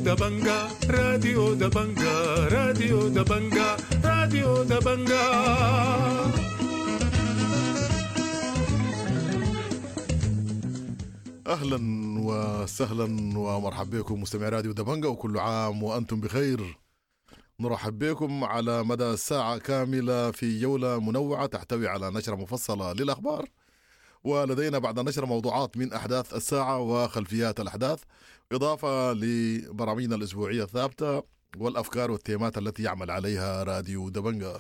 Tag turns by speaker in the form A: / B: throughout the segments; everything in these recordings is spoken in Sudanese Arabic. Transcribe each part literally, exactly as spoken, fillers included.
A: دبنجا، راديو دبنجا، راديو دبنجا، راديو دبنجا.
B: اهلا وسهلا ومرحبا بكم مستمعي راديو دبنجا، وكل عام وانتم بخير. نرحب بكم على مدى ساعة كاملة في جولة منوعة تحتوي على نشرة مفصلة للأخبار، ولدينا بعد النشرة موضوعات من أحداث الساعة وخلفيات الأحداث، إضافة لبرامجنا الأسبوعية الثابتة والأفكار والتيمات التي يعمل عليها راديو دبنجا.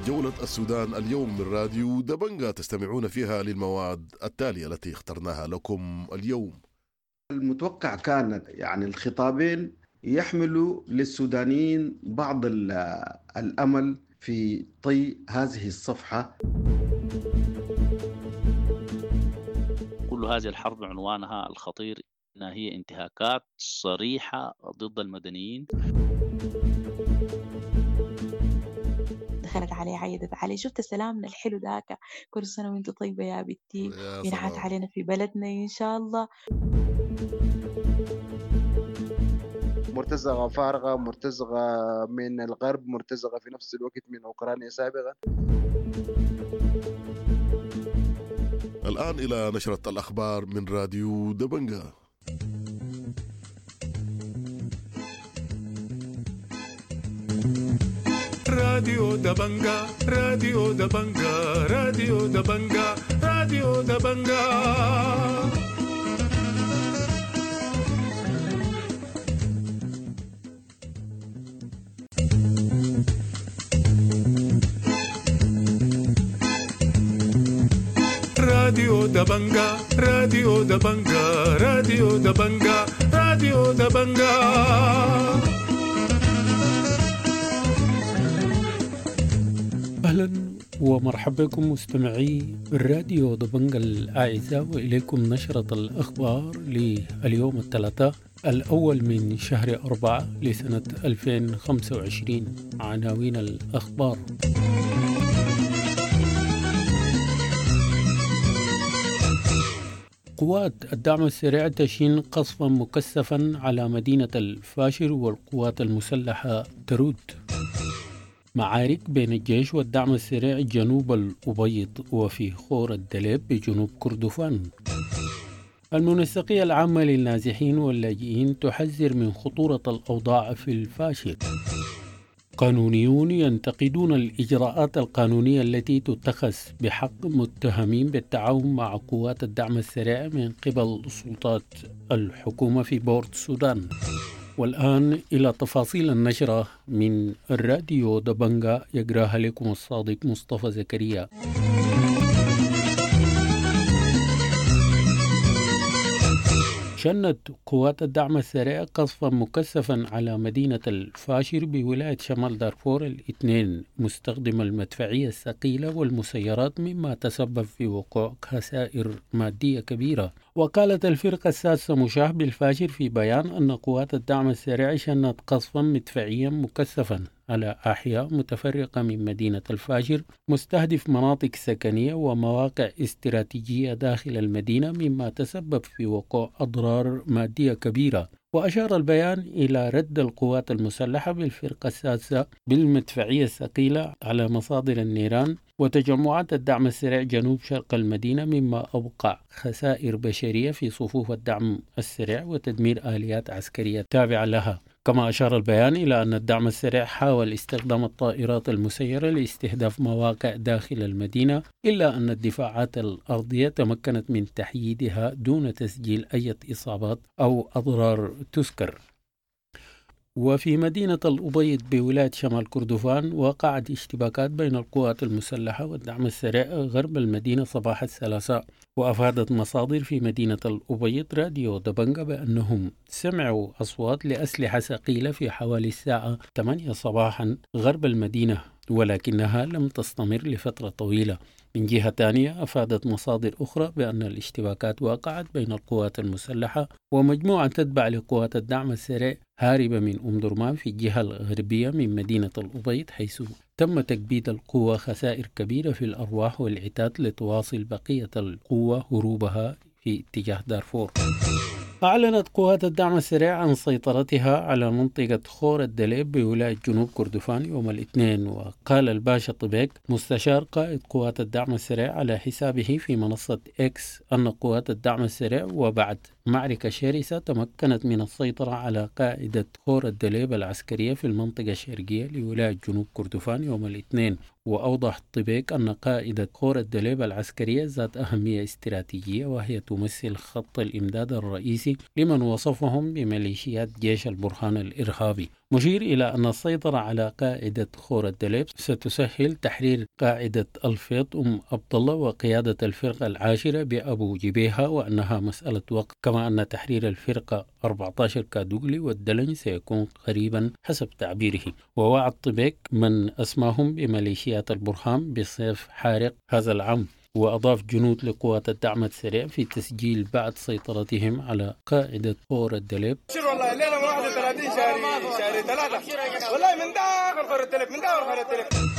B: جولة السودان اليوم من راديو دبنجا تستمعون فيها للمواد التالية التي اخترناها لكم اليوم.
C: المتوقع كان يعني الخطابين يحملوا للسودانيين بعض الأمل في طي هذه الصفحة.
D: كل هذه الحرب عنوانها الخطير أنها هي انتهاكات صريحة ضد المدنيين.
E: دخلت علي عيدت علي، شفت سلامنا الحلو ذاك، كل سنة وانت طيبة يا بنتي، ينعاد علينا في بلدنا إن شاء الله.
F: مرتزقة فارغة، مرتزقة من الغرب، مرتزقة في نفس الوقت من أوكرانيا سابقا.
B: الآن إلى نشرة الأخبار من راديو دبنجا.
A: راديو دبنجا، راديو دبنجا، راديو دبنجا، راديو دبنجا. راديو دبنجا، راديو دبنجا، راديو دبنجا، راديو دبنجا.
G: أهلا ومرحبا بكم مستمعي الراديو دبنجا الأعزاء، وإليكم نشرة الأخبار لليوم الثلاثاء الأول من شهر أربعة لسنة ألفين وخمسة وعشرين. عناوين الأخبار: قوات الدعم السريع تشين قصفا مكثفا على مدينة الفاشر والقوات المسلحة ترد. معارك بين الجيش والدعم السريع جنوب الأبيض وفي خور الدليب بجنوب كردفان. المنسقية العامة للنازحين واللاجئين تحذر من خطورة الأوضاع في الفاشر. قانونيون ينتقدون الإجراءات القانونية التي تتخذ بحق متهمين بالتعاون مع قوات الدعم السريع من قبل سلطات الحكومة في بورت السودان. والآن إلى تفاصيل النشرة من الراديو دبنجا، يقراها لكم الصادق مصطفى زكريا. شنت قوات الدعم السريع قصفا مكثفا على مدينة الفاشر بولاية شمال دارفور الاثنين، مستخدم المدفعية الثقيلة والمسيرات، مما تسبب في وقوع خسائر مادية كبيرة. وقالت الفرقة السادسة مشاه بالفاشر في بيان أن قوات الدعم السريع شنت قصفا مدفعيا مكثفا على أحياء متفرقة من مدينة الفاشر، مستهدف مناطق سكنية ومواقع استراتيجية داخل المدينة، مما تسبب في وقوع أضرار مادية كبيرة. وأشار البيان إلى رد القوات المسلحة بالفرقة السادسة بالمدفعية الثقيلة على مصادر النيران وتجمعات الدعم السريع جنوب شرق المدينة، مما أوقع خسائر بشرية في صفوف الدعم السريع وتدمير آليات عسكرية تابعة لها. كما أشار البيان إلى أن الدعم السريع حاول استخدام الطائرات المسيرة لاستهداف مواقع داخل المدينة، إلا أن الدفاعات الأرضية تمكنت من تحييدها دون تسجيل أي إصابات أو أضرار تذكر. وفي مدينة الأبيض بولاية شمال كردفان وقعت اشتباكات بين القوات المسلحة والدعم السريع غرب المدينة صباح الثلاثاء. وأفادت مصادر في مدينة الأبيض راديو دبنجا بأنهم سمعوا أصوات لأسلحة ثقيلة في حوالي الساعة ثمانية صباحا غرب المدينة، ولكنها لم تستمر لفترة طويلة. من جهة ثانية، أفادت مصادر أخرى بأن الاشتباكات وقعت بين القوات المسلحة ومجموعة تتبع لقوات الدعم السريع هاربة من أم درمان في الجهة الغربية من مدينة الأبيض، حيث تم تكبيد القوة خسائر كبيرة في الأرواح والعتاد لتواصل بقية القوة هروبها في اتجاه دارفور. أعلنت قوات الدعم السريع عن سيطرتها على منطقة خور الدليب بولاية جنوب كردفان يوم الاثنين. وقال الباشا طبيك مستشار قائد قوات الدعم السريع على حسابه في منصة إكس أن قوات الدعم السريع وبعد معركة شرسة تمكنت من السيطرة على قاعدة خور الدليب العسكرية في المنطقة الشرقية لولاية جنوب كردفان يوم الاثنين. وأوضح طبيك أن قاعدة خور الدليب العسكرية ذات أهمية استراتيجية، وهي تمثل خط الإمداد الرئيسي لمن وصفهم بميليشيات جيش البرهان الإرهابي، مشير إلى أن السيطرة على قاعدة خور الدليب ستسهل تحرير قاعدة الفيط أم عبد الله وقيادة الفرقة العاشرة بأبو جبيهة، وأنها مسألة وقت، كما أن تحرير الفرقة أربعة عشر كادوغلي والدلن سيكون قريبا حسب تعبيره. ووعد طبيك من أسماهم بميليشيات البرهان بصيف حارق هذا العام. وأضاف جنود لقوات الدعم السريع في تسجيل بعد سيطرتهم على قاعدة خور الدليب.
H: والله الليلة واحد وثلاثين شهر شهر ثلاثة والله من داخل خور الدليب من داخل خور الدليب.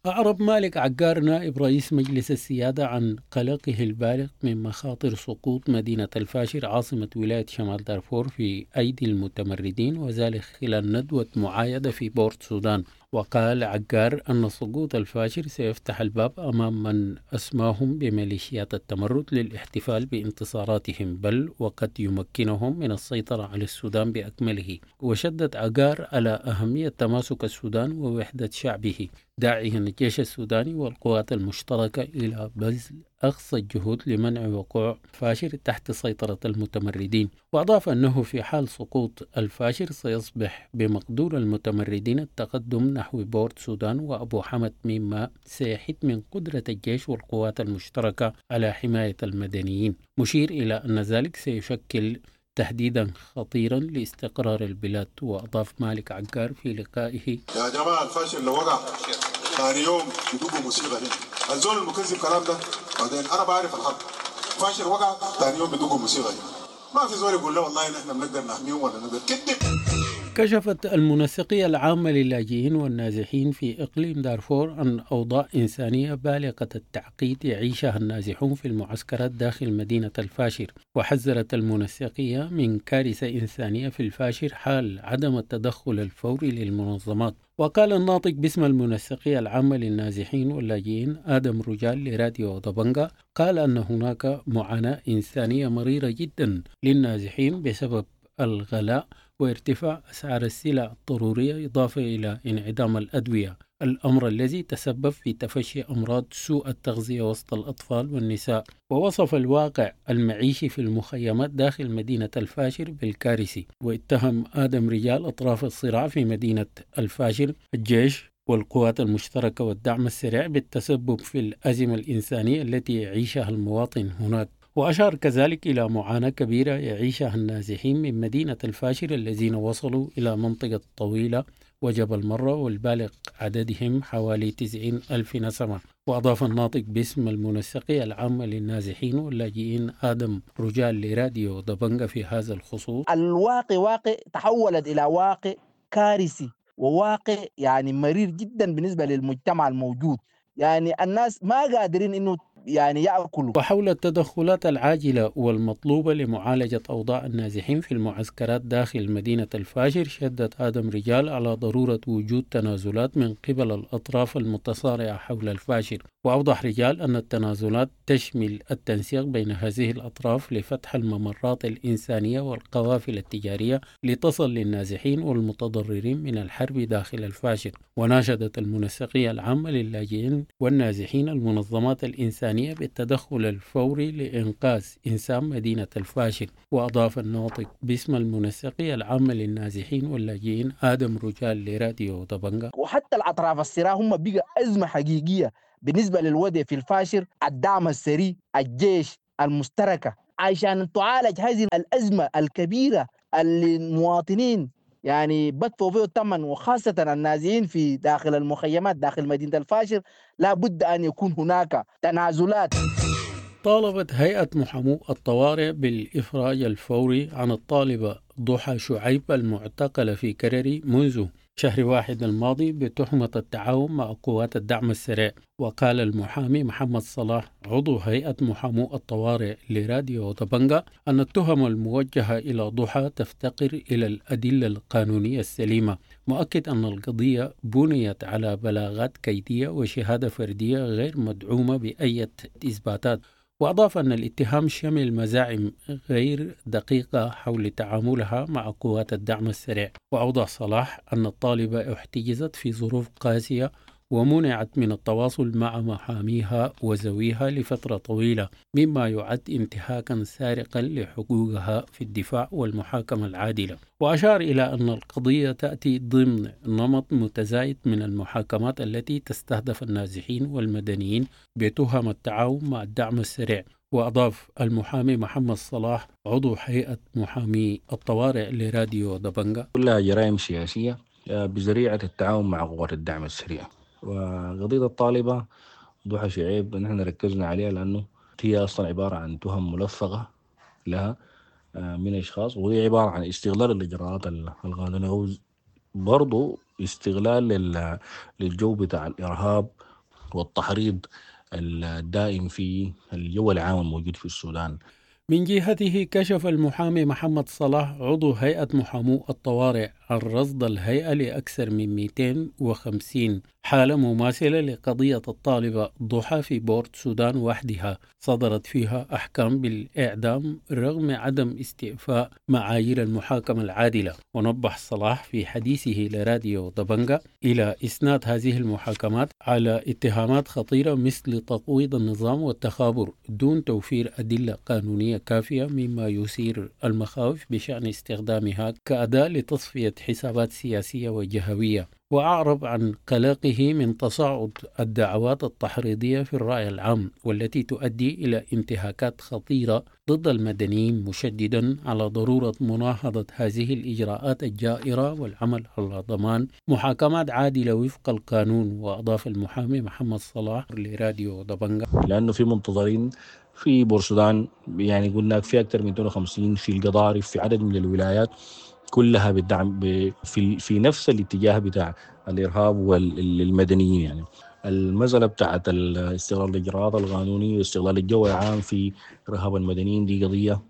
G: أعرب مالك عقار نائب رئيس مجلس السيادة عن قلقه البالغ من مخاطر سقوط مدينة الفاشر عاصمة ولاية شمال دارفور في أيدي المتمردين، وذلك خلال ندوة معايدة في بورت سودان. وقال عقار أن سقوط الفاشر سيفتح الباب أمام من أسماهم بميليشيات التمرد للاحتفال بانتصاراتهم، بل وقد يمكنهم من السيطرة على السودان بأكمله. وشدد عقار على أهمية تماسك السودان ووحدة شعبه، داعيا الجيش السوداني والقوات المشتركة إلى بذل أقصى الجهود لمنع وقوع فاشر تحت سيطرة المتمردين. وأضاف أنه في حال سقوط الفاشر سيصبح بمقدور المتمردين التقدم نحو بورت سودان وأبو حمد، مما سيحد من قدرة الجيش والقوات المشتركة على حماية المدنيين، مشير إلى أن ذلك سيشكل تهديدا خطيرا لاستقرار البلاد. وأضاف مالك عقار في لقائه:
I: يا جماعة الفاشر لو وقع ثاني يوم يدقوا موسيقى هنا، الزول المكذب كلام ده بعدين أنا بعرف الحق، فاشر وقع ثاني يوم يدقوا موسيقى هنا، ما في زول يقول له والله نحن بنقدر نحميهم ولا نقدر كذب.
G: كشفت المنسقية العامة للاجئين والنازحين في إقليم دارفور عن أوضاع إنسانية بالغة التعقيد يعيشها النازحون في المعسكرات داخل مدينة الفاشر. وحذرت المنسقية من كارثة إنسانية في الفاشر حال عدم التدخل الفوري للمنظمات. وقال الناطق باسم المنسقية العامة للنازحين واللاجئين آدم رجال لراديو دبنجا، قال أن هناك معاناة إنسانية مريرة جدا للنازحين بسبب الغلاء وارتفاع أسعار السلع الضرورية، إضافة إلى انعدام الأدوية، الأمر الذي تسبب في تفشي أمراض سوء التغذية وسط الأطفال والنساء. ووصف الواقع المعيشي في المخيمات داخل مدينة الفاشر بالكارثي. واتهم آدم رجال أطراف الصراع في مدينة الفاشر الجيش والقوات المشتركة والدعم السريع بالتسبب في الأزمة الإنسانية التي يعيشها المواطن هناك. وأشار كذلك إلى معاناة كبيرة يعيشها النازحين من مدينة الفاشر الذين وصلوا إلى منطقة طويلة وجبل مرة والبالغ عددهم حوالي تسعين ألف نسمة. وأضاف الناطق باسم المنسقية العامة للنازحين واللاجئين آدم رجال لراديو دبنجا في هذا الخصوص:
J: الواقع واقع تحولت إلى واقع كارثي وواقع يعني مرير جدا بالنسبة للمجتمع الموجود، يعني الناس ما قادرين إنه يعني يأكلوا.
G: وحول التدخلات العاجلة والمطلوبة لمعالجة أوضاع النازحين في المعسكرات داخل مدينة الفاشر، شدد آدم رجال على ضرورة وجود تنازلات من قبل الأطراف المتصارعة حول الفاشر. وأوضح رجال أن التنازلات تشمل التنسيق بين هذه الأطراف لفتح الممرات الإنسانية والقوافل التجارية لتصل للنازحين والمتضررين من الحرب داخل الفاشر. وناشدت المنسقية العامة للاجئين والنازحين المنظمات الإنسانية بالتدخل الفوري لإنقاذ إنسان مدينة الفاشر. وأضاف الناطق باسم المنسقية العامة للنازحين واللاجئين آدم رجال لراديو دبنجا:
J: وحتى الأطراف الصراع هم بقى أزمة حقيقية بالنسبة للوضع في الفاشر، الدعم السري، الجيش المشتركة، عشان تعالج هذه الأزمة الكبيرة اللي المواطنين يعني بدفعوا فيه الثمن، وخاصة النازحين في داخل المخيمات داخل مدينة الفاشر. لا بد أن يكون هناك تنازلات.
G: طالبت هيئة محامو الطوارئ بالإفراج الفوري عن الطالبة ضحى شعيب المعتقلة في كرري منذ شهر واحد الماضي بتهمة التعاون مع قوات الدعم السريع. وقال المحامي محمد صلاح عضو هيئة محامو الطوارئ لراديو دبنجا أن التهم الموجهة إلى ضحى تفتقر إلى الأدلة القانونية السليمة، مؤكد أن القضية بنيت على بلاغات كيدية وشهادة فردية غير مدعومة بأي إثباتات. وأضاف أن الاتهام شمل مزاعم غير دقيقة حول تعاملها مع قوات الدعم السريع. وأوضح صلاح أن الطالبة احتجزت في ظروف قاسية ومنعت من التواصل مع محاميها وزويها لفترة طويلة، مما يعد انتهاكا سارقا لحقوقها في الدفاع والمحاكمة العادلة. وأشار إلى أن القضية تأتي ضمن نمط متزايد من المحاكمات التي تستهدف النازحين والمدنيين بتهم التعاون مع الدعم السريع. وأضاف المحامي محمد صلاح عضو هيئة محامي الطوارئ لراديو دبنجا:
K: كلها جرائم سياسية بذريعة التعاون مع قوات الدعم السريع. وقضية الطالبة ضحى شعيب نحن ركزنا عليها لأنه هي أصلا عبارة عن تهم ملفقة لها من أشخاص، وهي عبارة عن استغلال الإجراءات القانونية، برضو استغلال للجو بتاع الإرهاب والتحريض الدائم في الجو العام الموجود في السودان.
G: من جهته كشف المحامي محمد صلاح عضو هيئة محامو الطوارئ عن رصد الهيئة لأكثر من مئتين وخمسين حالة مماثلة لقضية الطالبة ضحى في بورت سودان وحدها، صدرت فيها أحكام بالإعدام رغم عدم استيفاء معايير المحاكمة العادلة. ونبه صلاح في حديثه لراديو دبنجا إلى إسناد هذه المحاكمات على اتهامات خطيرة مثل تقويض النظام والتخابر دون توفير أدلة قانونية كافية، مما يثير المخاوف بشأن استخدامها كأداة لتصفية حسابات سياسية وجهوية. وأعرب عن قلقه من تصاعد الدعوات التحريضية في الرأي العام والتي تؤدي إلى انتهاكات خطيرة ضد المدنيين، مشددا على ضرورة مناهضة هذه الإجراءات الجائرة والعمل على ضمان محاكمات عادلة وفق القانون. وأضاف المحامي محمد صلاح لراديو دبنجا:
K: لأنه في منتظرين في بورسودان، يعني قلنا في أكثر من مئتين وخمسين، في القضارف، في عدد من الولايات كلها بالدعم في في نفس الاتجاه بتاع الارهاب والمدنيين. يعني المسألة بتاعت استغلال الإجراءات القانونية واستغلال الجو العام في إرهاب المدنيين دي قضية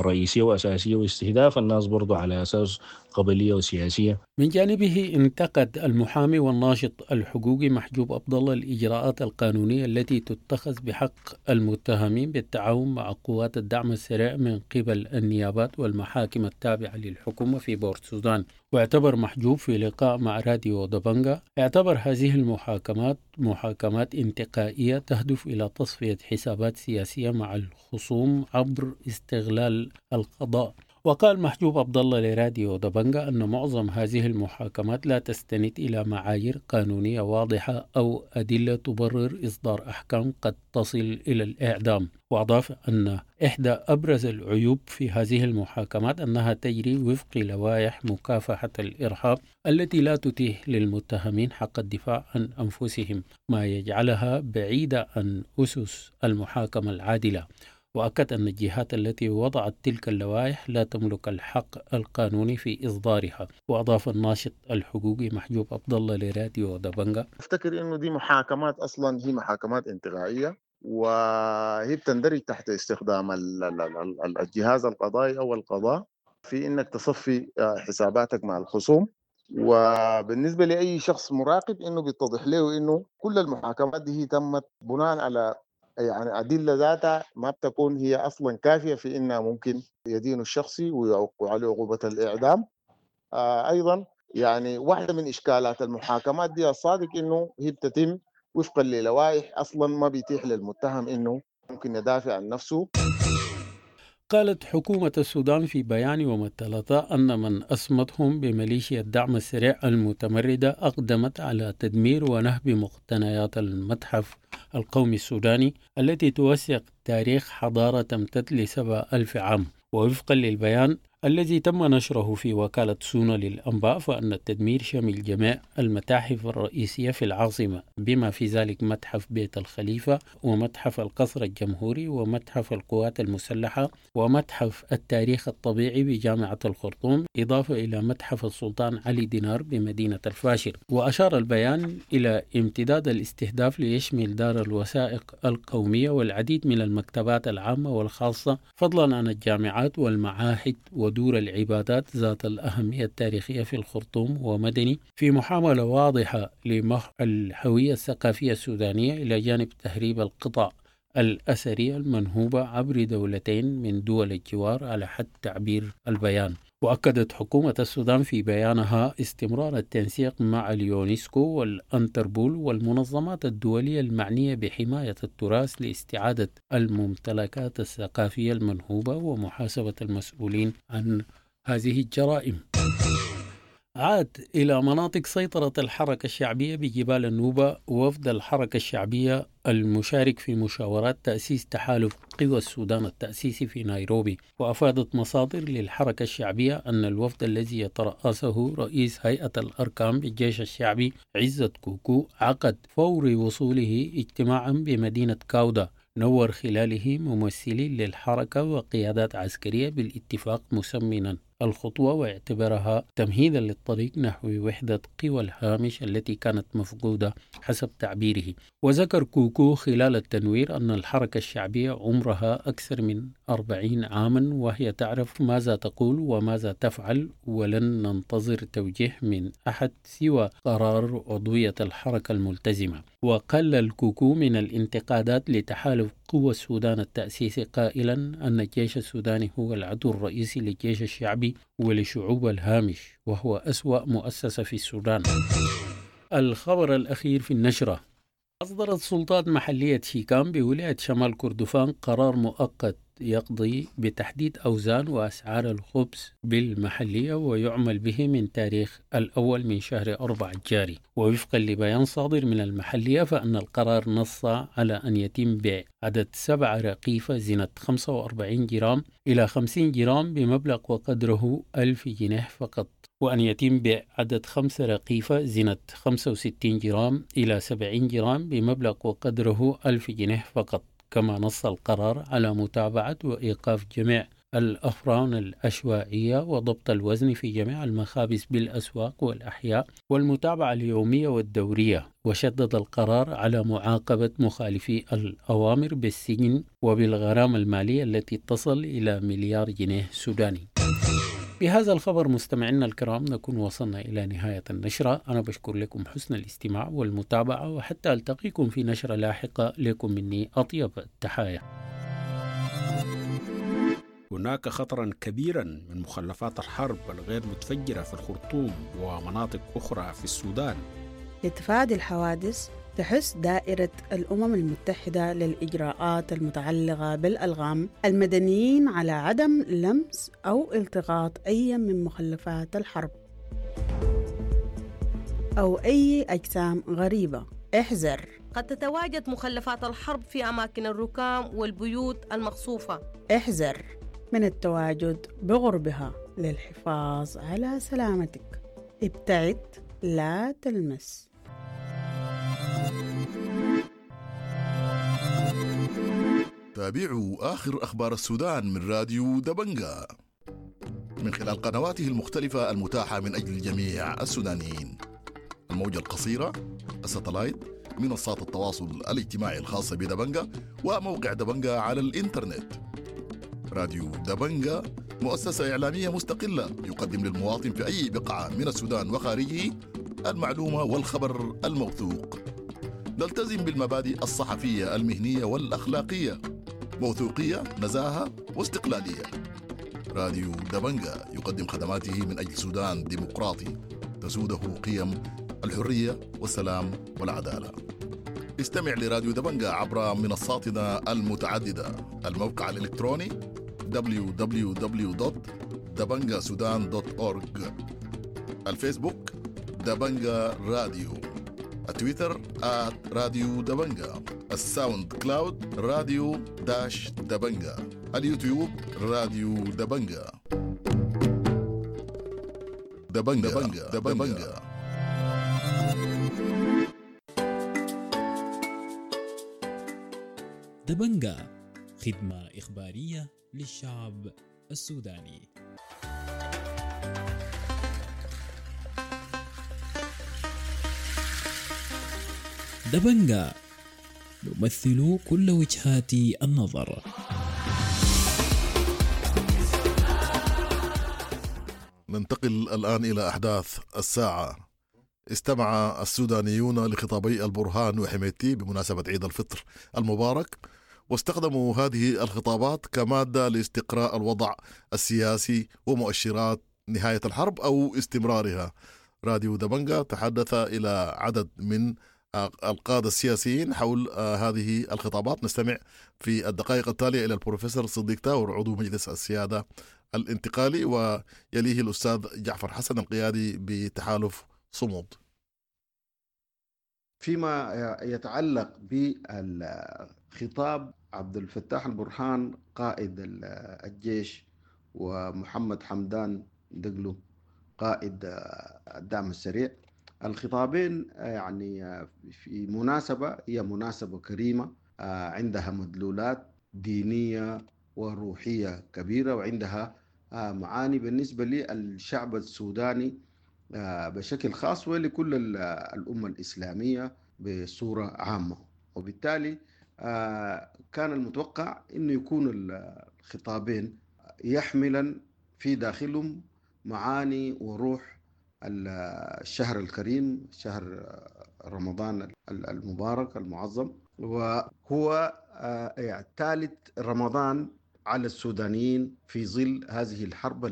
K: رئيسية وأساسية، واستهداف الناس برضو على أساس قبلية وسياسية.
G: من جانبه انتقد المحامي والناشط الحقوقي محجوب عبد الله الإجراءات القانونية التي تتخذ بحق المتهمين بالتعاون مع قوات الدعم السريع من قبل النيابات والمحاكم التابعة للحكومة في بورت سودان. واعتبر محجوب في لقاء مع راديو دبنجا اعتبر هذه المحاكمات محاكمات انتقائية تهدف إلى تصفية حسابات سياسية مع الخصوم عبر استغلال القضاء. وقال محجوب عبد الله لراديو دبنجا أن معظم هذه المحاكمات لا تستند إلى معايير قانونية واضحة أو أدلة تبرر إصدار أحكام قد تصل إلى الإعدام. وأضاف أن إحدى أبرز العيوب في هذه المحاكمات أنها تجري وفق لوائح مكافحة الإرهاب التي لا تتيح للمتهمين حق الدفاع عن أنفسهم، ما يجعلها بعيدة عن أسس المحاكمة العادلة. وأكد أن الجهات التي وضعت تلك اللوائح لا تملك الحق القانوني في إصدارها. وأضاف الناشط الحقوقي محجوب عبد الله لراديو دبنجا:
L: أفتكر إنه دي محاكمات أصلا هي محاكمات انتقائية، وهي بتندرج تحت استخدام الجهاز القضائي أو القضاء في إنك تصفي حساباتك مع الخصوم. وبالنسبة لأي شخص مراقب إنه بيتضح له إنه كل المحاكمات دي هي تمت بناء على يعني أدلة ذاتها ما بتكون هي أصلا كافية في إنها ممكن يدين الشخصي ويوقع عليه عقوبة الإعدام. آه أيضا يعني واحدة من إشكالات المحاكمات دي الصادق إنه هي بتتم وفقا للوائح أصلا ما بيتيح للمتهم إنه ممكن يدافع عن نفسه.
G: قالت حكومة السودان في بيان يوم الثلاثاء أن من أسمتهم بميليشيا الدعم السريع المتمردة أقدمت على تدمير ونهب مقتنيات المتحف القومي السوداني التي توثق تاريخ حضارة تمتد لسبع ألف عام. ووفقا للبيان الذي تم نشره في وكالة سونا للأنباء، فأن التدمير شمل جميع المتاحف الرئيسية في العاصمة، بما في ذلك متحف بيت الخليفة ومتحف القصر الجمهوري ومتحف القوات المسلحة ومتحف التاريخ الطبيعي بجامعة الخرطوم، إضافة إلى متحف السلطان علي دينار بمدينة الفاشر. وأشار البيان إلى امتداد الاستهداف ليشمل دار الوثائق القومية والعديد من المكتبات العامة والخاصة، فضلا عن الجامعات والمعاهد ودور العبادات ذات الأهمية التاريخية في الخرطوم ومدني، في محاولة واضحة لمحو الهوية الثقافية السودانية، إلى جانب تهريب القطع الأثرية المنهوبة عبر دولتين من دول الجوار على حد تعبير البيان. وأكدت حكومة السودان في بيانها استمرار التنسيق مع اليونسكو والأنتربول والمنظمات الدولية المعنية بحماية التراث لاستعادة الممتلكات الثقافية المنهوبة ومحاسبة المسؤولين عن هذه الجرائم. عاد إلى مناطق سيطرة الحركة الشعبية بجبال النوبة وفد الحركة الشعبية المشارك في مشاورات تأسيس تحالف قوى السودان التأسيسي في نيروبي. وأفادت مصادر للحركة الشعبية أن الوفد الذي يترأسه رئيس هيئة الأركان بالجيش الشعبي عزت كوكو عقد فور وصوله اجتماعا بمدينة كاودا نور خلاله ممثلين للحركة وقيادات عسكرية بالاتفاق، مسمنا الخطوة واعتبرها تمهيدا للطريق نحو وحدة قوى الهامش التي كانت مفقودة حسب تعبيره. وذكر كوكو خلال التنوير أن الحركة الشعبية عمرها أكثر من أربعين عاما وهي تعرف ماذا تقول وماذا تفعل، ولن ننتظر توجيه من أحد سوى قرار عضوية الحركة الملتزمة. وقلل كوكو من الانتقادات لتحالف قوى السودان التأسيسي قائلا أن الجيش السوداني هو العدو الرئيسي للجيش الشعبي ولشعوب الهامش، وهو أسوأ مؤسسة في السودان. الخبر الأخير في النشرة: أصدرت سلطات محلية شيكام بولاية شمال كردفان قرار مؤقت يقضي بتحديد أوزان وأسعار الخبز بالمحلية ويعمل به من تاريخ الأول من شهر أربعة الجاري. ووفقا لبيان صادر من المحلية فأن القرار نص على أن يتم بيع عدد سبعة رقيفة زنة خمسة وأربعين جرام إلى خمسين جرام بمبلغ وقدره ألف جنيه فقط، وأن يتم بيع عدد خمسة رقيفة زنة خمسة وستين جرام إلى سبعين جرام بمبلغ وقدره ألف جنيه فقط. كما نص القرار على متابعة وإيقاف جميع الأفران العشوائية وضبط الوزن في جميع المخابز بالأسواق والأحياء والمتابعة اليومية والدورية. وشدد القرار على معاقبة مخالفي الأوامر بالسجن وبالغرامة المالية التي تصل إلى مليار جنيه سوداني. بهذا الخبر مستمعينا الكرام نكون وصلنا إلى نهاية النشرة. أنا بشكر لكم حسن الاستماع والمتابعة، وحتى ألتقيكم في نشرة لاحقة، لكم مني أطيب التحايا.
M: هناك خطرا كبيرا من مخلفات الحرب الغير متفجرة في الخرطوم ومناطق أخرى في السودان.
N: لتفادي الحوادث تحث دائرة الأمم المتحدة للإجراءات المتعلقة بالألغام المدنيين على عدم لمس أو التقاط أي من مخلفات الحرب أو أي أجسام غريبة. احذر،
O: قد تتواجد مخلفات الحرب في أماكن الركام والبيوت المقصوفة.
N: احذر من التواجد بغربها للحفاظ على سلامتك. ابتعد، لا تلمس.
B: تابعوا آخر أخبار السودان من راديو دبنجا من خلال قنواته المختلفة المتاحة من أجل جميع السودانيين: الموجة القصيرة، الستلايت، منصات التواصل الاجتماعي الخاصة بدبنجا، وموقع دبنجا على الإنترنت. راديو دبنجا مؤسسة إعلامية مستقلة يقدم للمواطن في أي بقعة من السودان وخارجه المعلومة والخبر الموثوق. نلتزم بالمبادئ الصحفية المهنية والأخلاقية، موثوقية، نزاهة واستقلالية. راديو دبنجا يقدم خدماته من أجل سودان ديمقراطي تسوده قيم الحرية والسلام والعدالة. استمع لراديو دبنجا عبر منصاتنا المتعددة: الموقع الإلكتروني دبليو دبليو دبليو دوت دبنجا سودان دوت أورج، الفيسبوك دبنجا راديو، التويتر آت راديو دبنجا، الساوند كلاود راديو dash دبنجا، اليوتيوب راديو دبنجا. دبنجا دبنجا, دبنجا.
P: دبنجا خدمة إخبارية للشعب السوداني. دبنجا نمثل كل وجهات النظر.
B: ننتقل الآن إلى أحداث الساعة. استمع السودانيون لخطابي البرهان وحميدتي بمناسبة عيد الفطر المبارك، واستخدموا هذه الخطابات كمادة لاستقراء الوضع السياسي ومؤشرات نهاية الحرب أو استمرارها. راديو دبنجا تحدث إلى عدد من القادة السياسيين حول هذه الخطابات. نستمع في الدقائق التالية إلى البروفيسور صديق تاور عضو مجلس السيادة الانتقالي، ويليه الأستاذ جعفر حسن القيادي بتحالف صمود.
C: فيما يتعلق بالخطاب عبد الفتاح البرهان قائد الجيش ومحمد حمدان دقلو قائد الدعم السريع، الخطابين يعني في مناسبة، هي مناسبة كريمة عندها مدلولات دينية وروحية كبيرة، وعندها معاني بالنسبة للشعب السوداني بشكل خاص ولكل الأمة الإسلامية بصورة عامة. وبالتالي كان المتوقع أنه يكون الخطابين يحملا في داخلهم معاني وروح الشهر الكريم، شهر رمضان المبارك المعظم، وهو ثالث رمضان على السودانيين في ظل هذه الحرب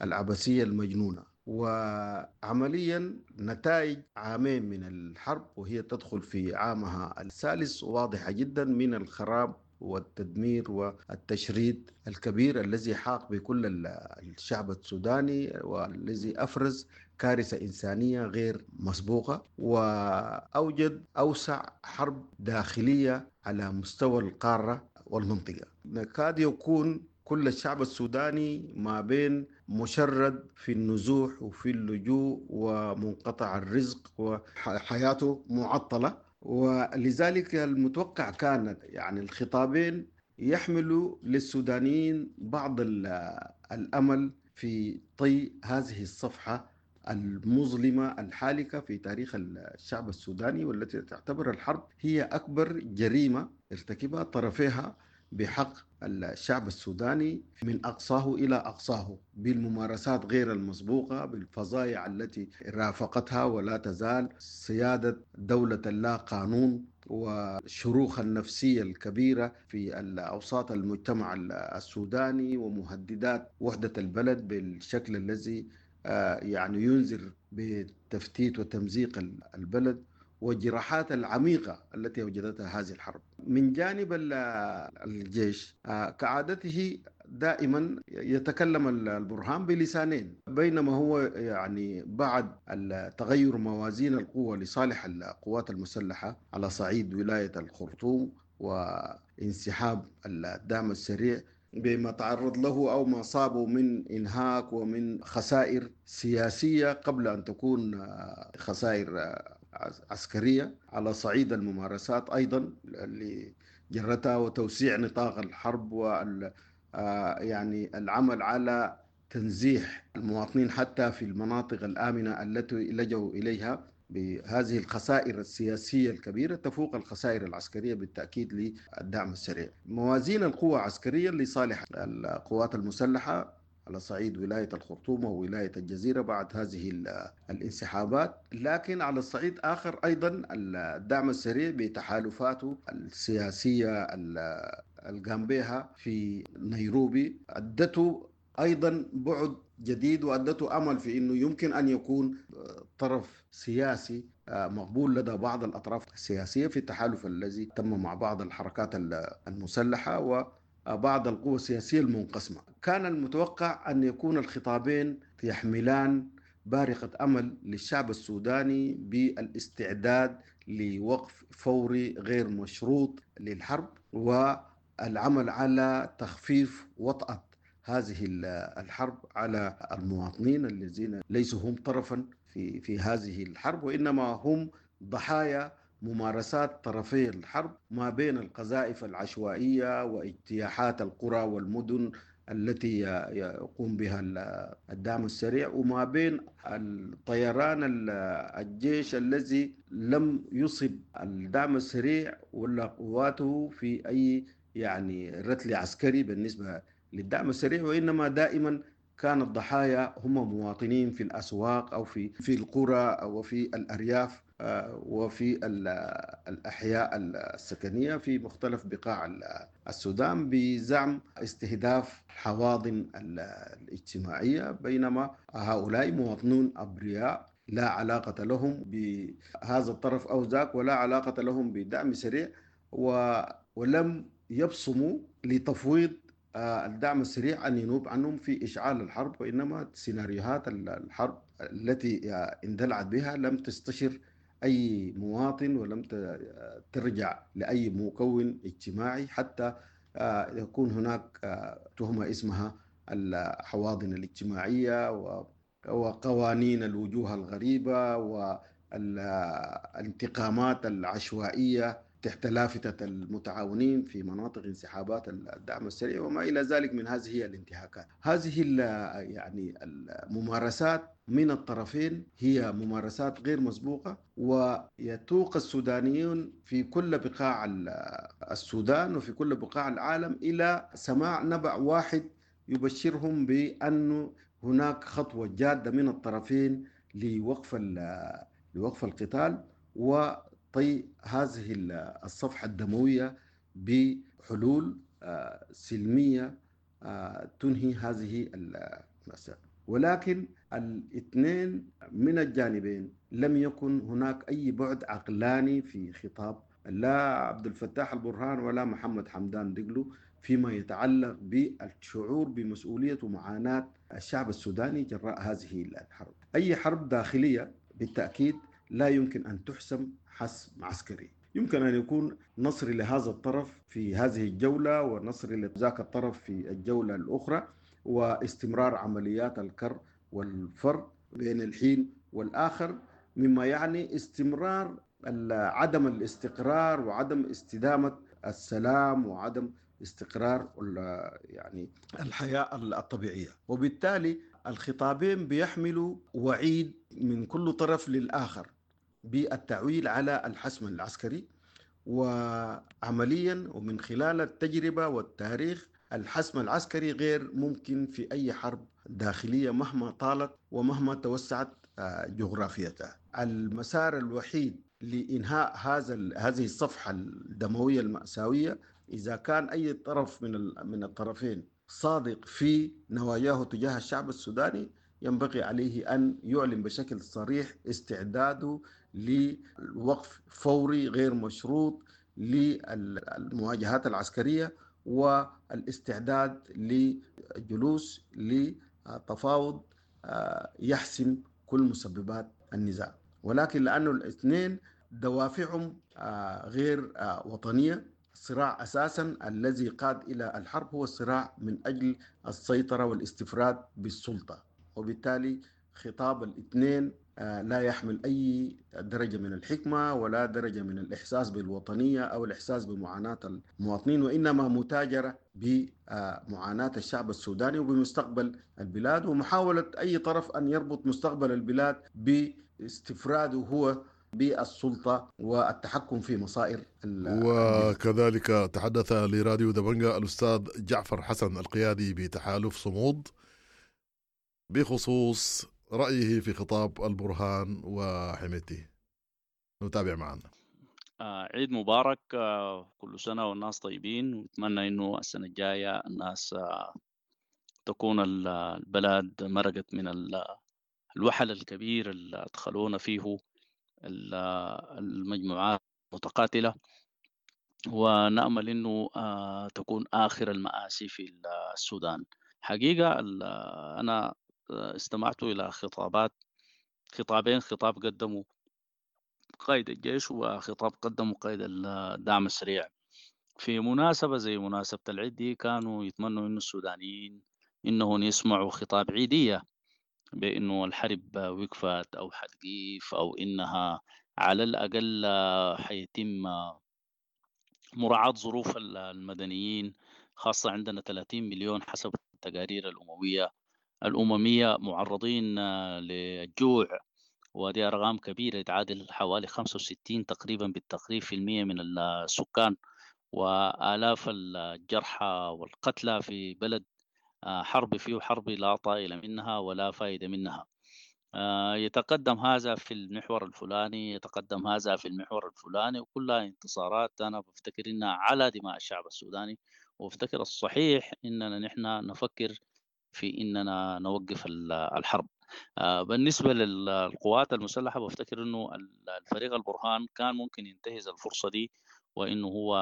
C: العبثية المجنونة. وعمليا نتائج عامين من الحرب وهي تدخل في عامها الثالث واضحة جدا، من الخراب والتدمير والتشريد الكبير الذي حاق بكل الشعب السوداني، والذي أفرز كارثة إنسانية غير مسبوقة، وأوجد أوسع حرب داخلية على مستوى القارة والمنطقة. نكاد يكون كل الشعب السوداني ما بين مشرد في النزوح وفي اللجوء ومنقطع الرزق وحياته معطلة. ولذلك المتوقع كانت يعني الخطابين يحملوا للسودانيين بعض الأمل في طي هذه الصفحة المظلمة الحالكة في تاريخ الشعب السوداني، والتي تعتبر الحرب هي أكبر جريمة ارتكبها طرفيها بحق الشعب السوداني من أقصاه إلى أقصاه، بالممارسات غير المسبوقة، بالفظائع التي رافقتها ولا تزال، سيادة دولة اللا قانون، والشروخ النفسية الكبيرة في أوساط المجتمع السوداني، ومهددات وحدة البلد بالشكل الذي يعني ينذر بتفتيت وتمزيق البلد، والجراحات العميقة التي وجدتها هذه الحرب. من جانب الجيش كعادته دائما يتكلم البرهان بلسانين، بينما هو يعني بعد تغير موازين القوة لصالح القوات المسلحة على صعيد ولاية الخرطوم وانسحاب الدعم السريع بما تعرض له أو ما صابه من إنهاك ومن خسائر سياسية قبل أن تكون خسائر عسكرية، على صعيد الممارسات أيضا اللي جرتها وتوسيع نطاق الحرب وال يعني العمل على تنزيح المواطنين حتى في المناطق الآمنة التي لجوا إليها، بهذه الخسائر السياسية الكبيرة تفوق الخسائر العسكرية بالتأكيد للدعم السريع. موازين القوى عسكريا لصالح القوات المسلحة على صعيد ولاية الخرطوم وولاية الجزيرة بعد هذه الانسحابات، لكن على الصعيد آخر أيضا الدعم السريع بتحالفاته السياسية القام بها في نيروبي أدته أيضا بعد جديد، وأدته أمل في أنه يمكن أن يكون طرف سياسي مقبول لدى بعض الأطراف السياسية في التحالف الذي تم مع بعض الحركات المسلحة وبعض القوى السياسية المنقسمة. كان المتوقع أن يكون الخطابين يحملان بارقة أمل للشعب السوداني بالاستعداد لوقف فوري غير مشروط للحرب، والعمل على تخفيف وطأة هذه الحرب على المواطنين الذين ليسوا هم طرفا في في هذه الحرب، وإنما هم ضحايا ممارسات طرفي الحرب ما بين القذائف العشوائية واجتياحات القرى والمدن التي يقوم بها الدعم السريع، وما بين الطيران الجيش الذي لم يصب الدعم السريع ولا قواته في أي يعني رتل عسكري بالنسبة للدعم السريع، وإنما دائما كان الضحايا هم مواطنين في الأسواق أو في في القرى أو في الأرياف وفي الأحياء السكنية في مختلف بقاع السودان بزعم استهداف الحواضن الاجتماعية، بينما هؤلاء مواطنون أبرياء لا علاقة لهم بهذا الطرف أو ذاك، ولا علاقة لهم بدعم سريع، ولم يبصموا لتفويض الدعم السريع أن ينوب عنهم في إشعال الحرب، وإنما سيناريوهات الحرب التي اندلعت بها لم تستشر أي مواطن ولم ترجع لأي مكون اجتماعي حتى يكون هناك تهمة اسمها الحواضن الاجتماعية وقوانين الوجوه الغريبة والانتقامات العشوائية تحت لافتة المتعاونين في مناطق انسحابات الدعم السريع وما إلى ذلك من هذه الانتهاكات. هذه يعني الممارسات من الطرفين هي ممارسات غير مسبوقة، ويتوق السودانيون في كل بقاع السودان وفي كل بقاع العالم إلى سماع نبأ واحد يبشرهم بأن هناك خطوة جادة من الطرفين لوقف لوقف القتال و طي هذه الصفحة الدموية بحلول سلمية تنهي هذه المأساة. ولكن الاثنين من الجانبين لم يكن هناك أي بعد عقلاني في خطاب لا عبد الفتاح البرهان ولا محمد حمدان دقلو فيما يتعلق بالشعور بمسؤولية ومعاناة الشعب السوداني جراء هذه الحرب. أي حرب داخلية بالتأكيد لا يمكن أن تحسم حسم عسكري، يمكن أن يكون نصر لهذا الطرف في هذه الجولة ونصر لذاك الطرف في الجولة الأخرى، واستمرار عمليات الكر والفر بين الحين والآخر، مما يعني استمرار عدم الاستقرار وعدم استدامة السلام وعدم استقرار يعني الحياة الطبيعية. وبالتالي الخطابين بيحملوا وعيد من كل طرف للآخر بالتعويل على الحسم العسكري، وعمليا ومن خلال التجربة والتاريخ الحسم العسكري غير ممكن في أي حرب داخلية مهما طالت ومهما توسعت جغرافيتها. المسار الوحيد لإنهاء هذا هذه الصفحة الدموية المأساوية إذا كان أي طرف من من الطرفين صادق في نواياه تجاه الشعب السوداني ينبغي عليه أن يعلن بشكل صريح استعداده للوقف فوري غير مشروط للمواجهات العسكرية والاستعداد لجلوس لتفاوض يحسم كل مسببات النزاع. ولكن لأنه الاثنين دوافعهم غير وطنية، الصراع أساسا الذي قاد إلى الحرب هو الصراع من أجل السيطرة والاستفراد بالسلطة، وبالتالي خطاب الاثنين لا يحمل أي درجة من الحكمة ولا درجة من الإحساس بالوطنية أو الإحساس بمعاناة المواطنين، وإنما متاجرة بمعاناة الشعب السوداني وبمستقبل البلاد، ومحاولة أي طرف أن يربط مستقبل البلاد باستفراده هو بالسلطة والتحكم في مصائر.
B: وكذلك تحدث لراديو دبنجا الأستاذ جعفر حسن القيادي بتحالف صمود بخصوص رأيه في خطاب البرهان وحميته. نتابع معنا.
D: آه عيد مبارك، آه كل سنة والناس طيبين، ونتمنى إنه السنة الجاية الناس آه تكون البلد مرقت من الوحل الكبير اللي أدخلونا فيه المجموعات المتقاتلة، ونأمل إنه آه تكون آخر المآسي في السودان. حقيقة أنا استمعت إلى خطابات خطابين، خطاب قدمه قائد الجيش وخطاب قدمه قائد الدعم السريع في مناسبة زي مناسبة العيد دي. كانوا يتمنوا إنه السودانيين إنهم يسمعوا خطاب عيدية بأنه الحرب وقفت أو حتقيف أو إنها على الأقل حيتم مراعاة ظروف المدنيين، خاصة عندنا ثلاثين مليون حسب التقارير الأممية الأممية معرضين للجوع، ودي أرقام كبيرة تعادل حوالي خمسة وستين تقريبا بالتقريب في المية من السكان، وآلاف الجرحى والقتلى في بلد حرب فيه حرب لا طائل منها ولا فائدة منها. يتقدم هذا في المحور الفلاني، يتقدم هذا في المحور الفلاني، وكلها انتصارات أنا بفتكر إنها على دماء الشعب السوداني. وبفتكر الصحيح إننا نحن نفكر في إننا نوقف الحرب. بالنسبة للقوات المسلحة بفتكر إنه الفريق البرهان كان ممكن ينتهز الفرصة دي، وإنه هو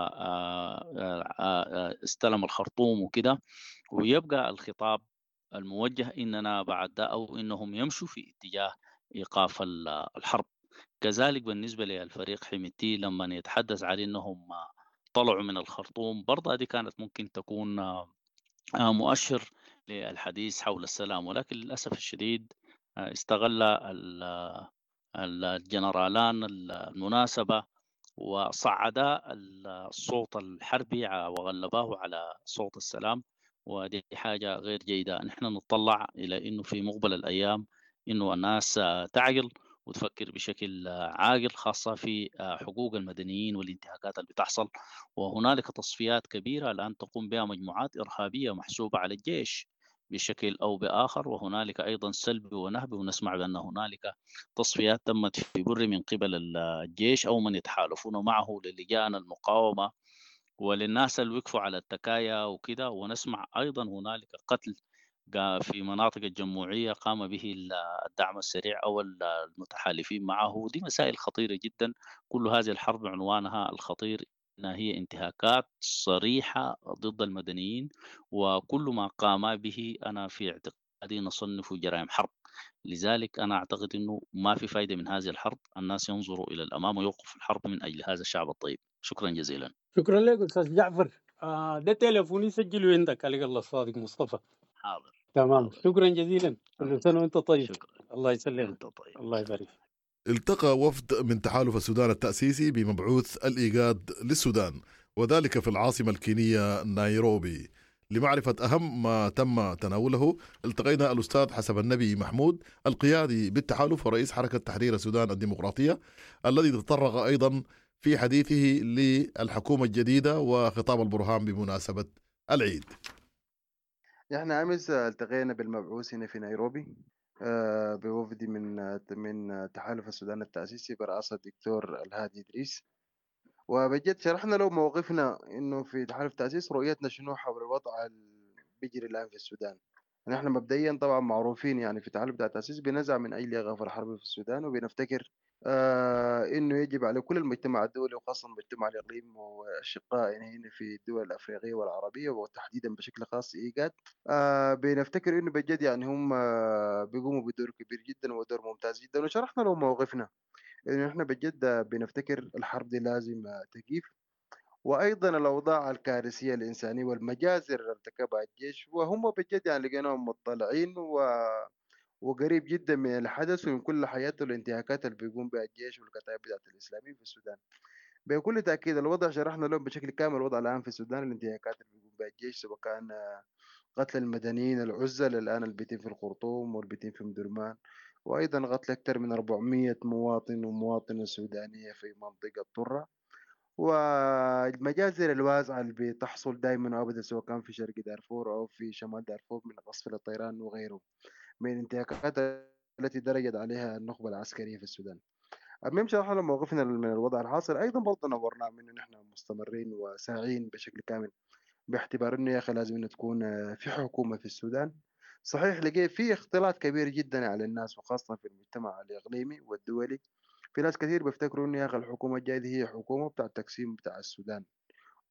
D: استلم الخرطوم وكده، ويبقى الخطاب الموجه إننا بعد ده أو إنهم يمشوا في اتجاه إيقاف الحرب. كذلك بالنسبة للفريق حميدتي لما يتحدث عن إنهم طلعوا من الخرطوم، برضه دي كانت ممكن تكون مؤشر للحديث حول السلام، ولكن للأسف الشديد استغل الجنرالان المناسبة وصعدا الصوت الحربي وغلباه على صوت السلام، ودي حاجة غير جيدة. نحن نتطلع إلى إنه في مقبل الأيام إنه الناس تعقل وتفكر بشكل عاقل، خاصة في حقوق المدنيين والانتهاكات اللي بتحصل. وهنالك تصفيات كبيرة الآن تقوم بها مجموعات إرهابية محسوبة على الجيش بشكل أو بآخر، وهنالك أيضا سلب ونهب، ونسمع بأن هنالك تصفيات تمت في بر من قبل الجيش أو من يتحالفون معه للجان المقاومة وللناس اللي وقفوا على التكايا وكده. ونسمع أيضا هنالك قتل في مناطق الجموعية قام به الدعم السريع أو المتحالفين معه. دي مسائل خطيرة جدا. كل هذه الحرب عنوانها الخطير أنها هي انتهاكات صريحة ضد المدنيين، وكل ما قام به أنا في اعتقادي نصنفه جرائم حرب. لذلك أنا أعتقد أنه ما في فايدة من هذه الحرب، الناس ينظروا إلى الأمام ويوقفوا الحرب من أجل هذا الشعب الطيب. شكرا جزيلا.
G: شكرا لك أستاذ جعفر. آه ده تليفوني سجله عندك عليك الله الصادق مصطفى.
D: حاضر.
G: تمام، شكرا جزيلا، كل سنة وأنت طيب.
D: شكرا.
G: الله يسلمك.
D: أنت طيب.
G: الله يبارك.
B: التقى وفد من تحالف السودان التأسيسي بمبعوث الإيجاد للسودان، وذلك في العاصمة الكينية نيروبي. لمعرفة أهم ما تم تناوله التقينا الأستاذ حسب النبي محمود القيادي بالتحالف ورئيس حركة تحرير السودان الديمقراطية، الذي تطرق أيضا في حديثه للحكومة الجديدة وخطاب البرهان بمناسبة العيد.
F: نحن أمس التقينا بالمبعوث هنا في نيروبي بوفد من من تحالف السودان التأسيسي برئاسة الدكتور الهادي إدريس، وبجد شرحنا له موقفنا إنه في تحالف التأسيس رؤيتنا شنو حول الوضع اللي بيجري الآن في السودان. نحن مبدئيا طبعا معروفين يعني في تحالف التأسيس بنزع من أجل إيقاف الحرب في السودان، وبنفتكر آه إنه يجب على كل المجتمع الدولي وخاصة المجتمع الإقليمي والأشقاء يعني هنا في الدول الأفريقية والعربية وتحديدا بشكل خاص إيجاد، آه بنفتكر إنه بجد يعني هم آه بيقوموا بدور كبير جدا ودور ممتاز جدا. وشرحنا لهم موقفنا إنه إحنا بجد بنفتكر الحرب دي لازم تقيف، وأيضا الأوضاع الكارثية الإنسانية والمجازر اللي ارتكبها الجيش، وهم بجد يعني لقيناهم مطلعين و وقريب جدا من الحدث ومن كل حياته الانتهاكات اللي بيقوم بها الجيش والكتائب بتاعت الإسلاميين في السودان. بكل تأكيد الوضع شرحنا لهم بشكل كامل الوضع الآن في السودان، الانتهاكات اللي بيقوم بها الجيش سواء كان قتل المدنيين العزل الآن اللي بيتم في الخرطوم واللي بيتم في مدرمان، وأيضا قتل أكثر من أربعمية مواطن ومواطنة سودانية في منطقة طرة، والمجازر الواسعة اللي بتحصل دائما وأبدا سواء كان في شرق دارفور أو في شمال دارفور من قصف الطيران وغيره من الانتهاكات التي درجت عليها النخبة العسكرية في السودان. المهم شرحنا موقفنا من الوضع الحاصل، أيضا برضه نورنا منه نحن مستمرين وساعين بشكل كامل باعتبار إنه يا أخي لازم إنه تكون في حكومة في السودان. صحيح لقيت في اختلاط كبير جدا على الناس وخاصة في المجتمع الإقليمي والدولي، في ناس كثير بيفتكروا إنه يا أخي الحكومة الجاية دي هي حكومة بتاع التقسيم بتاع السودان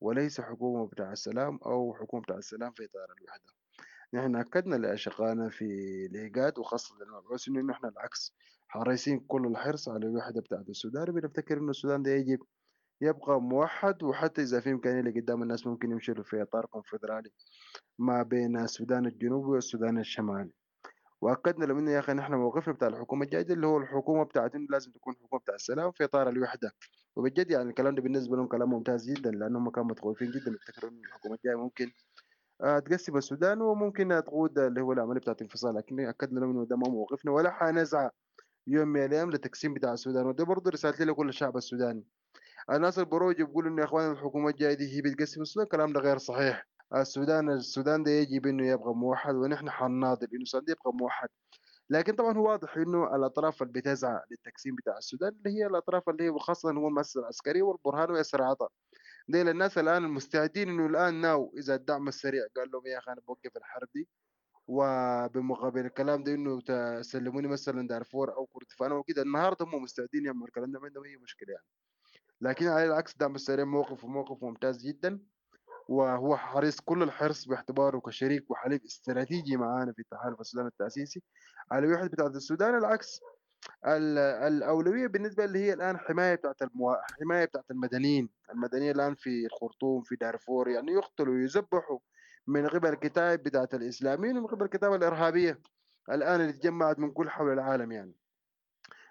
F: وليس حكومة بتاع السلام أو حكومة بتاع السلام في إطار الوحدة. نحن أكدنا لأشقائنا في الإيجاد وخاصة للمبعوث إنه نحن العكس، حريصين كل الحرص على الوحدة بتاعت السودان، وبنفتكر إنه السودان ده يجب يبقى موحد، وحتى إذا في إمكانية لقدام الناس ممكن يمشوا في إطار كونفدرالي ما بين السودان الجنوبي والسودان الشمالي. وأكدنا لهم إنه يا أخي نحن موقفنا بتاع الحكومة الجاية اللي هو الحكومة بتاعت إنه لازم تكون حكومة بتاع السلام في إطار الوحدة. وبجد يعني الكلام ده بالنسبة لهم كلام ممتاز جدا، لأنهم كانوا متخوفين جدا، يفتكروا إنه الحكومة الجاية ممكن تقسم السودان وممكن تقود اللي هو العملية بتاعت الانفصال، لكن أكدنا لهم إنه ده ما موقفنا ولا حنسعى يوم من الأيام لتقسيم بتاع السودان. وده برضه رسالتي لكل الشعب السوداني. الناس البروج بيقولوا إنه يا إخوان الحكومة الجاية دي هي بتقسم السودان، الكلام ده غير صحيح. السودان السودان ده يجب إنه يبقى موحد، ونحن حنناضل إنه السودان ده يبقى موحد. لكن طبعا هو واضح إنه الأطراف اللي بتسعى للتقسيم بتاع السودان اللي هي الأطراف اللي هي وخاصة هو المؤسسة العسكرية والبرهان وياسر عطا، ديل الناس الآن المستعدين إنه الآن ناو إذا الدعم السريع قال لهم يا أخي أنا بوقف الحرب دي، وبمقابل الكلام ده إنه تسلموني مثلا دارفور أو كردفان وكده، النهارده هم مستعدين يعملوا الكلام ده، ما عندهم أي مشكلة يعني. لكن على العكس الدعم السريع موقف وموقف ممتاز جدا، وهو حريص كل الحرص باعتباره كشريك وحليف استراتيجي معانا في التحالف السودان التأسيسي على وحدة بتاعة السودان. العكس الأولوية بالنسبة اللي هي الآن حماية بتاعة المو... حماية بتاعة المدنيين، المدنيين الآن في الخرطوم في دارفور يعني يقتلوا ويذبحوا من قبل الكتائب بتاعة الإسلاميين ومن قبل الكتائب الإرهابية الآن اللي تجمعت من كل حول العالم. يعني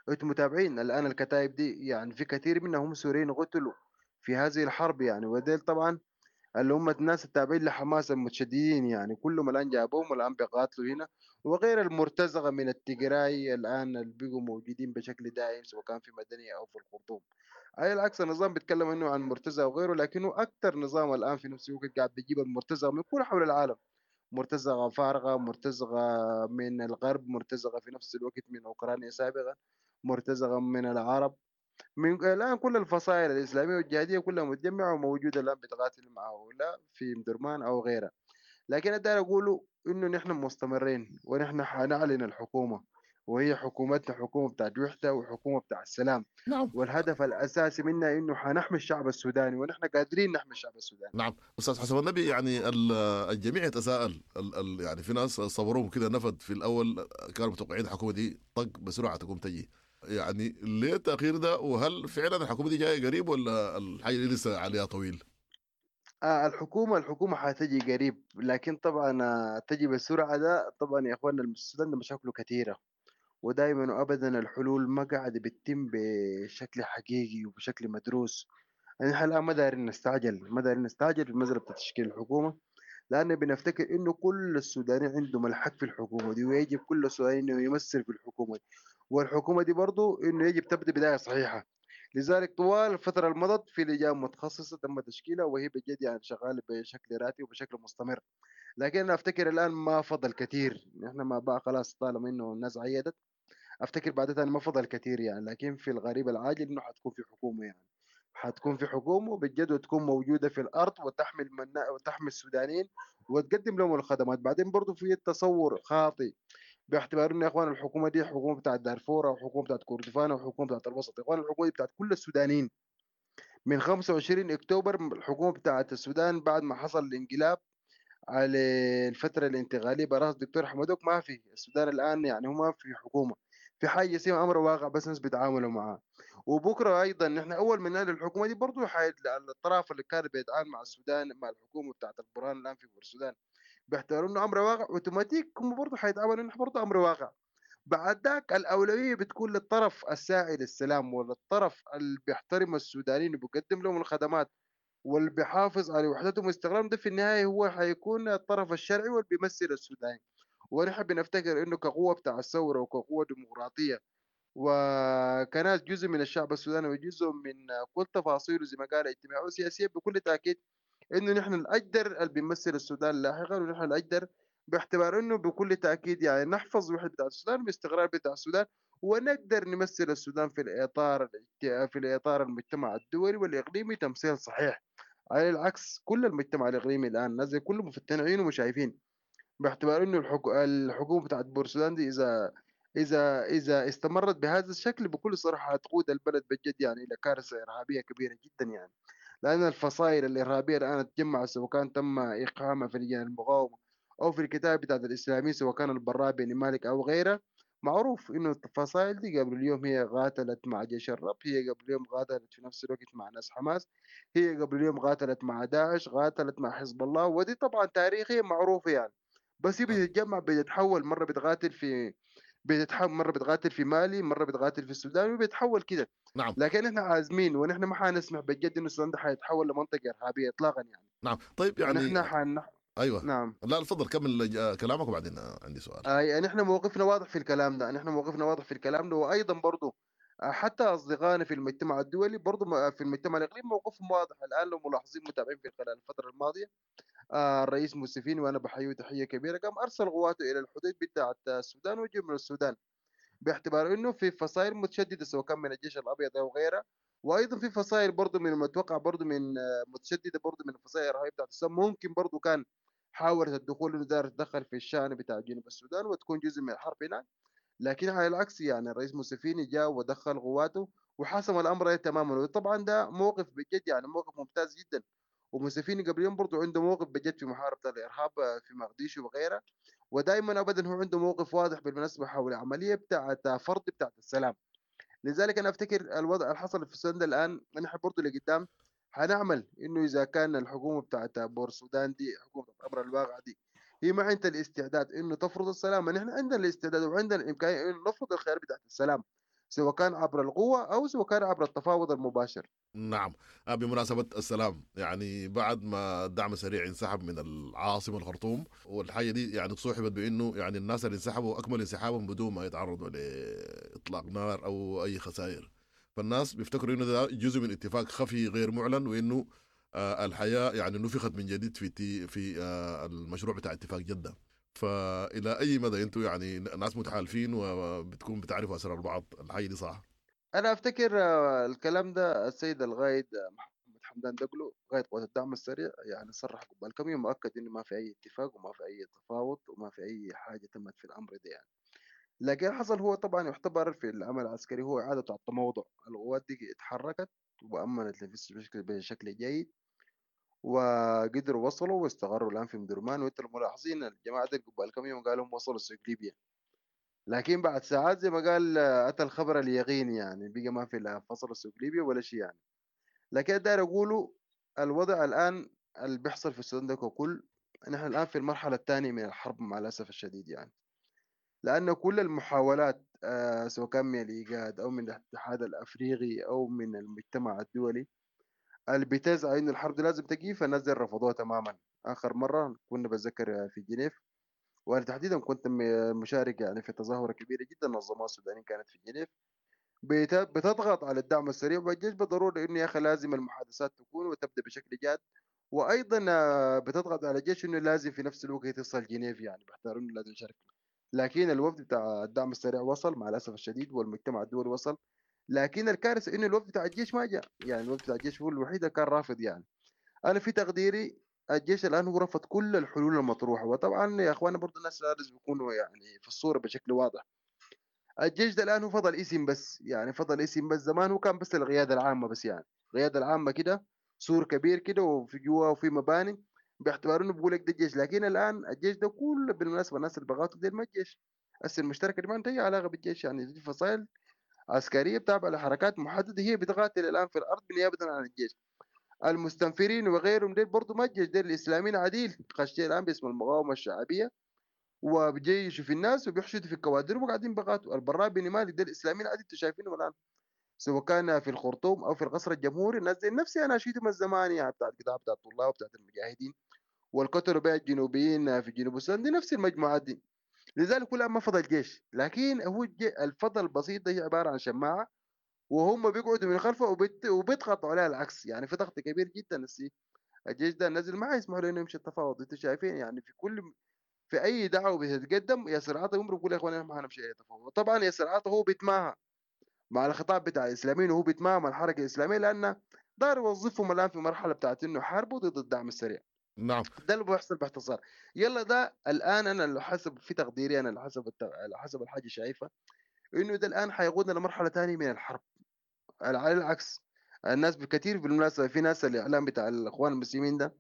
F: أنتم متابعين الآن الكتائب دي، يعني في كثير منهم سوريين قتلوا في هذه الحرب يعني، وديل طبعا اللي هم الناس التابعين لحماس المتشددين يعني كلهم الآن جابوهم والآن بيقاتلوا هنا، وغير المرتزقة من التجراي الآن اللي بيقوا موجودين بشكل دائم سواء كان في مدنية أو في الخرطوم. على العكس النظام بيتكلم إنه عن مرتزقة وغيره، لكنه أكثر نظام الآن في نفس الوقت قاعد بيجيب المرتزقة من كل حول العالم، مرتزقة فارغة، مرتزقة من الغرب، مرتزقة في نفس الوقت من أوكرانيا سابقا، مرتزقة من العرب، من الآن كل الفصائل الإسلامية والجهادية كلها متجمعة وموجودة الآن بتقاتل مع هؤلاء في مدرمان أو غيرها. لكن أقدر أقوله إنه نحن مستمرين ونحن حنعلن الحكومة، وهي حكومتنا حكومة بتاعت وحدة وحكومة بتاع السلام.
B: نعم.
F: والهدف الأساسي منها إنه حنحمي الشعب السوداني، ونحن قادرين نحمي الشعب السوداني.
B: نعم أستاذ حسن النبي، يعني الجميع يتساءل، يعني في ناس صبرهم كده نفد في الأول، كانوا متوقعين الحكومة دي طق بسرعة تقوم تجي، يعني ليه التأخير ده؟ وهل فعلا الحكومة دي جاية قريب ولا الحاجة دي لسه عليها طويل؟
F: آه الحكومة الحكومة حتجي قريب، لكن طبعا تجي بسرعة ده طبعا يا اخواننا السودان ده مشاكله كثيرة، ودائما وابدا الحلول ما قاعدة بتتم بشكل حقيقي وبشكل مدروس. يعني احنا الان ما دايرين نستعجل، ما دايرين نستعجل في المسألة بتاع تشكيل الحكومة، لأن بنفتكر إنه كل السودانيين عندهم الحق في الحكومة دي، ويجب كل السوداني إنه يمثل في الحكومة دي، والحكومة دي برضو إنه يجب تبدأ بداية صحيحة. لذلك طوال الفترة المضت في لجان متخصصة تم تشكيلها، وهي بجد يعني شغالة بشكل راتي وبشكل مستمر. لكن أنا أفتكر الآن ما فضل كثير، نحن ما بقى خلاص طالما إنه الناس عيدت، أفتكر بعدها ما فضل كثير يعني. لكن في الغريب العاجل إنه حتكون في حكومة، يعني حتكون في حكومة بجد وتكون موجودة في الأرض وتحمل من... وتحمي السودانيين وتقدم لهم الخدمات. بعدين برضو في تصور خاطئ باعتبار انه يا اخوان الحكومة دي حكومة بتاعت دارفور او حكومة بتاعت كردفان او حكومة بتاعت الوسط. يا اخوان الحكومة دي بتاعت كل السودانيين. من خمسة وعشرين اكتوبر الحكومة بتاعت السودان بعد ما حصل الانقلاب على الفترة الانتقالية براس الدكتور حمدوك، ما في السودان الان يعني هم في حكومة، في حاجة اسمها امر واقع بس الناس بيتعاملوا معاه. وبكره ايضا نحن اول ما نعلن الحكومة دي برضه الطرف اللي كان بيتعامل مع السودان مع الحكومة بتاعت البرهان الان في السودان بيعتبروا انه امر واقع اوتوماتيك، هم برضه حيتعاملوا انه برضه امر واقع. بعد ذاك الاولوية بتكون للطرف الساعي للسلام، وللطرف اللي بيحترم السودانيين وبيقدم لهم الخدمات واللي بيحافظ على وحدتهم واستقلالهم، ده في النهاية هو حيكون الطرف الشرعي واللي بيمثل السودانيين. ونحن بنفتكر انه كقوة بتاع الثورة وكقوه ديمقراطية وكناس جزء من الشعب السوداني وجزء من كل تفاصيله زي ما قال اجتماعية وسياسية، بكل تاكيد انه نحن الاجدر اللي بيمثل السودان لاحقا، ونحن الاجدر باعتبار انه بكل تاكيد يعني نحفظ وحده بتاع السودان والاستقرار بتاع السودان، ونقدر نمثل السودان في الاطار في الاطار المجتمع الدولي والاقليمي تمثيل صحيح. على العكس كل المجتمع الاقليمي الان نازل كله مفتين عيونه وشايفين باعتبار انه الحكو... الحكومة بتاعت بورسودان دي اذا اذا اذا استمرت بهذا الشكل بكل صراحة هتقود البلد بجد يعني الى كارثة ارهابية كبيرة جدا يعني. لان الفصائل الارهابية الان تجمع سواء كان تم اقامه في لجان المقاومة او في الكتاب بتاعت الاسلاميين سواء كان البراء بن مالك او غيره، معروف إنه الفصائل دي قبل اليوم هي قاتلت مع جيش الرب، هي قبل اليوم قاتلت في نفس الوقت مع ناس حماس، هي قبل اليوم قاتلت مع داعش، قاتلت مع حزب الله، ودي طبعا تاريخيا معروفة يعني. بس هي بتتجمع بتتحول، مرة بتقاتل في بتتحول مرة بتقاتل في مالي، مرة بتقاتل في السودان، وبتتحول كده.
B: نعم.
F: لكن احنا عازمين، ونحن ما حنسمح بجد انه السودان ده حيتحول لمنطقه ارهابية اطلاقا يعني.
B: نعم. طيب يعني
F: نحن حن...
B: ايوه
F: نعم.
B: لا تفضل كمل كلامك وبعدين عندي سؤال.
F: اي نحن موقفنا واضح في الكلام ده، نحن موقفنا واضح في الكلام ده، وايضا برضو حتى اصدقائنا في المجتمع الدولي برضو في المجتمع الاقليمي موقفهم واضح الان. لو ملاحظين متابعين في خلال الفترة الماضية، الرئيس موسيفيني وانا بحييه تحية كبيرة قام ارسل قواته الى الحدود بتاعه السودان وجنوب السودان، باعتبار انه في فصائل متشددة سواء كان من الجيش الابيض او غيره، وايضا في فصائل برضو من المتوقع برضو من متشددة برضو من الفصائل الارهابية بتاعت السودان، ممكن برضو كان حاولت الدخول انه داير تدخل في الشان بتاع جنوب السودان وتكون جزء من الحرب هناك. لكن على العكس يعني الرئيس موسيفيني جاء ودخل قواته وحسم الامر تماما، وطبعا ده موقف بجد يعني موقف ممتاز جدا. وموسيفيني قبل يوم برضو عنده موقف بجد في محاربة الإرهاب في مقديشو وغيرها، ودائما أبدا هو عنده موقف واضح بالمناسبة حول العملية بتاعت فرض بتاعت السلام. لذلك أنا أفتكر الوضع اللي حصل في السودان ده الآن نحن برضو لقدام هنعمل إنه إذا كان الحكومة بتاعت بور السودان دي، حكومة الأمر الواقع دي، هي ما عندها الاستعداد إنه تفرض السلام، نحن عندنا الاستعداد وعندنا الإمكانية إنه نفرض الخيار بتاعت السلام، سواء كان عبر القوة أو سواء كان عبر التفاوض المباشر.
B: نعم. بمناسبة السلام، يعني بعد ما الدعم السريع انسحب من العاصمة الخرطوم، والحاجة دي يعني صوحبت بأنه يعني الناس اللي انسحبوا أكمل انسحابهم بدون ما يتعرضوا لإطلاق نار أو أي خسائر، فالناس بيفتكروا إنه ده جزء من اتفاق خفي غير معلن، وإنه الحياة يعني نفخت من جديد في في المشروع بتاع اتفاق جدة. فإلى أي مدى أنتم يعني ناس متحالفين وبتكون بتعرفوا أسرار بعض، الحاجة دي صح؟
F: أنا أفتكر الكلام ده السيد الغايد محمد حمدان دقلو قائد قوات الدعم السريع يعني صرح قبل كم يوم مؤكد إنه ما في أي اتفاق وما في أي تفاوض وما في أي حاجة تمت في الأمر ده يعني. لكن حصل هو طبعا يعتبر في العمل العسكري هو إعادة التموضع، القوات دي اتحركت وأمنت لنفسها بشكل جيد وقدروا وصلوا واستقروا الآن في مدرمان. وانت الملاحظين الجماعة دي قبل كم يوم قالوا وصلوا سوق ليبيا، لكن بعد ساعات زي ما قال أتى الخبر اليقين يعني بقى ما في لا فصل سوق ليبيا ولا شيء يعني. لكن داير أقوله الوضع الآن اللي بيحصل في السودان ده ككل، نحن الآن في المرحلة الثانية من الحرب مع الأسف الشديد يعني، لأن كل المحاولات آه سواء كان من الإيجاد أو من الاتحاد الأفريقي أو من المجتمع الدولي اللي بتزعى إنه الحرب دي لازم تقيف، الناس دي رفضوها تماما. آخر مرة كنا بتذكر في جنيف، وأنا تحديدا كنت مشارك يعني في تظاهرة كبيرة جدا نظمها السودانيين كانت في جنيف، بتضغط على الدعم السريع والجيش بالضرورة إنه يا أخي لازم المحادثات تكون وتبدأ بشكل جاد، وأيضا بتضغط على الجيش إنه لازم في نفس الوقت يصل جنيف يعني باعتبار إنه لازم يشارك. لكن الوفد بتاع الدعم السريع وصل مع الأسف الشديد والمجتمع الدولي وصل، لكن الكارثة إنه الوفد بتاع الجيش ما جاء يعني، الوفد بتاع الجيش هو الوحيد اللي كان رافض يعني. أنا في تقديري الجيش الآن هو رفض كل الحلول المطروحة، وطبعا يا أخوانا برضو الناس لازم يكونوا يعني في الصورة بشكل واضح. الجيش ده الآن هو فضل اسم بس يعني، فضل اسم بس. زمان هو كان بس القيادة العامة بس يعني، القيادة العامة كده سور كبير كده وفي جوا وفي مباني باعتبار انه بيقول لك ده الجيش، لكن الان الجيش ده كله بالمناسبة الناس اللي بغاتوا دي ما الجيش هسه المشتركة دي ما عندها اي علاقة بالجيش يعني، دي فصائل عسكرية بتابعه لحركات محددة هي بتقاتل الان في الارض بالنيابة عن الجيش. المستنفرين وغيرهم ديل برضه ما الجيش، ديل الاسلاميين عديل خشيه الان باسم المقاومة الشعبية وبجيشوا في الناس وبيحشدوا في الكوادر وقاعدين بغاتوا. البراء بن مالك ديل الاسلاميين عديل انتوا شايفينهم الان سواء كان في الخرطوم او في القصر الجمهوري، الناس دي نفسي انا شيتهم الزمان يعني بتاعت القطاع بتاع الطلاب وبتاعت المجاهدين والقتلوا بها الجنوبيين في جنوب السودان، دي نفس المجموعات دي. لذلك كلها ما فضل جيش، لكن هو الفضل البسيط ده هي عبارة عن شماعة وهم بيقعدوا من خلفه وبيت وبيضغطوا عليها العكس يعني، في ضغط كبير جدا. السي الجيش ده نزل ما يسمحوا له انه يمشي التفاوض، انتوا شايفين يعني في كل في اي دعوه بتتقدم ياسر عطا يمر بيقول يا اخوان ما حنمشي اي تفاوض. طبعا ياسر عطا هو بيتماهى مع الخطاب بتاع الاسلاميين وهو بيتماهى مع الحركة الاسلامية، لان دار يوظفهم الان في مرحلة بتاعت انه حاربوا ضد الدعم السريع.
B: نعم
F: ده اللي بيحصل باختصار. يلا ده الان انا اللي حسب في تقديري انا اللي حسب الت... حسب الحاجة شايفه انه ده الان حيقودنا لمرحلة ثانية من الحرب. على العكس الناس بكثير بالمناسبة في ناس الاعلام بتاع الاخوان المسلمين ده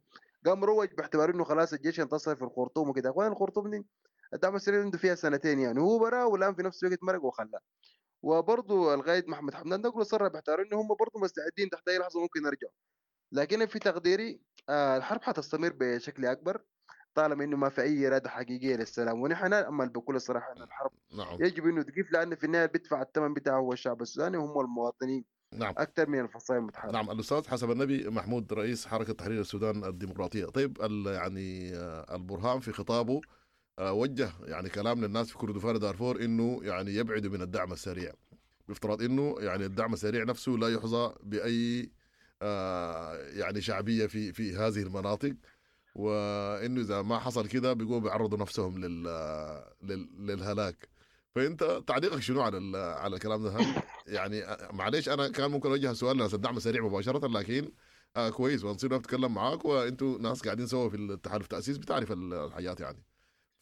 F: قام روج باعتبار انه خلاص الجيش انتصر في الخرطوم وكده. اخوان الخرطوم دي الدعم السريع عنده فيها سنتين يعني، هو برا والان في نفس الوقت مرق وخلاه. وبرضه القائد محمد حمدان دقلو صرح باعتبار انه هم برضه مستعدين تحت اي لحظة ممكن يرجعوا. لكن في تقديري آه الحرب حتستمر بشكل اكبر طالما انه ما في اي اراده حقيقية للسلام، ونحن نامل بكل صراحة ان الحرب
B: نعم.
F: يجب انه تقف، لان في النهاية بيدفع الثمن بتاعه هو الشعب السوداني وهم المواطنين
B: نعم.
F: اكثر من الفصائل المتحاربه.
B: نعم. الاستاذ حسب النبي محمود رئيس حركة تحرير السودان الديمقراطية، طيب يعني البرهان في خطابه وجه يعني كلام للناس في كردفان دارفور انه يعني يبعدوا من الدعم السريع، بافتراض انه يعني الدعم السريع نفسه لا يحظى باي يعني شعبية في في هذه المناطق، وانه اذا ما حصل كده بيقوموا بيعرضوا نفسهم لل للهلاك. فانت تعليقك شنو على على الكلام ده؟ يعني معلش انا كان ممكن اوجه سؤال لناس الدعم السريع مباشرة، لكن آه كويس ونصير نتكلم معاك وانتوا ناس قاعدين سوا في التحالف التاسيس بتعرف الحاجات يعني.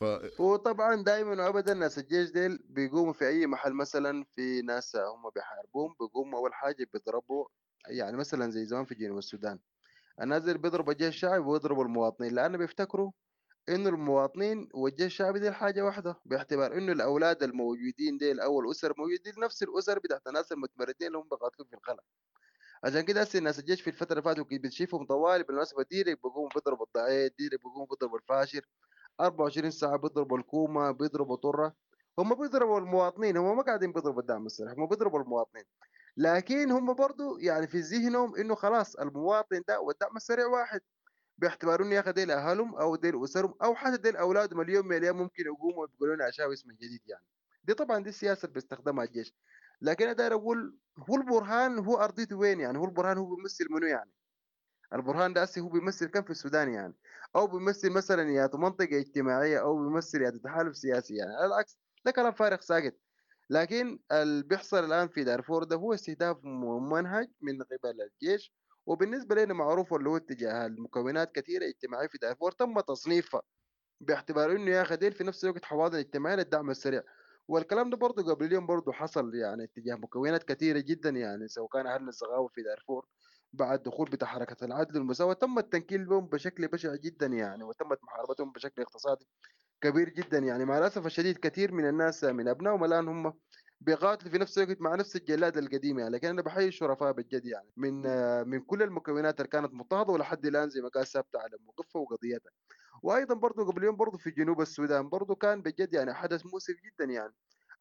B: ف...
F: وطبعا دائما وابدا ناس الجيش ديل بيقوموا في اي محل، مثلا في ناس هم بيحاربوهم بيقوموا اول حاجة بيضربوا، يعني مثلا زي زمان في جنوب السودان الناس اللي بيضربوا الجيش الشعبي ويضربوا المواطنين، لانه بيفتكروا انه المواطنين والجيش الشعبي دي حاجة واحدة، باعتبار انه الاولاد الموجودين ديل او الاسر الموجودين نفس الاسر بتاعت الناس المتمردين اللي هم بيقاتلوا في الخلا. عشان كده هسه الناس الجيش في الفترة اللي فاتت بتشوفهم طوالي بالمناسبة ديرك بيقوموا بيضربوا الضعيف، ديرك بيقوموا بيضربوا الفاشر، أربعة وعشرين ساعة بيضربوا الكومة، بيضربوا طره، هم بيضربوا المواطنين، هم ما قاعدين بيضربوا الدعم السريع، هم بيضربوا المواطنين. لكن هم برضو يعني في ذهنهم انه خلاص المواطن ده والدعم السريع واحد، باعتبار انه يا اخي ديل اهلهم او ديل اسرهم او حتى ديل اولادهم اليوم من الايام ممكن يقوموا ويقولوا لنا اشاوس من جديد يعني. دي طبعا دي السياسة اللي بيستخدمها الجيش. لكن انا داير اقول هو البرهان هو ارضيته وين يعني؟ هو البرهان هو بيمثل منو يعني؟ البرهان ده هسه هو بيمثل كم في السودان يعني؟ او بيمثل مثلا يا منطقة اجتماعية او بيمثل يا تحالف سياسي يعني. على العكس ده كلام فارغ ساكت. لكن اللي بيحصل الان في دارفور ده هو استهداف ممنهج من قبل الجيش، وبالنسبة لنا معروف اللي هو اتجاه المكونات كثيرة اجتماعية في دارفور تم تصنيفها باعتبار انه يا اخي ديل في نفس الوقت حواضن اجتماعية للدعم السريع. والكلام ده برضه قبل اليوم برضه حصل يعني اتجاه مكونات كثيرة جدا يعني، سواء كان اهلنا الزغاوه في دارفور بعد دخول بتاع حركة العدل والمساواة تم التنكيل بهم بشكل بشع جدا يعني، وتمت محاربتهم بشكل اقتصادي كبير جدا يعني. مع الاسف الشديد كثير من الناس من ابنائهم الان هم بيقاتلوا في نفس الوقت مع نفس الجلاد القديم يعني. لكن انا بحيي الشرفاء بالجد يعني من من كل المكونات اللي كانت مضطهده ولحد الان زي ما قال ثابتة على موقفها وقضيتها. وايضا برضه قبل يوم برضه في جنوب السودان برضه كان بجد يعني حدث مؤسف جدا يعني،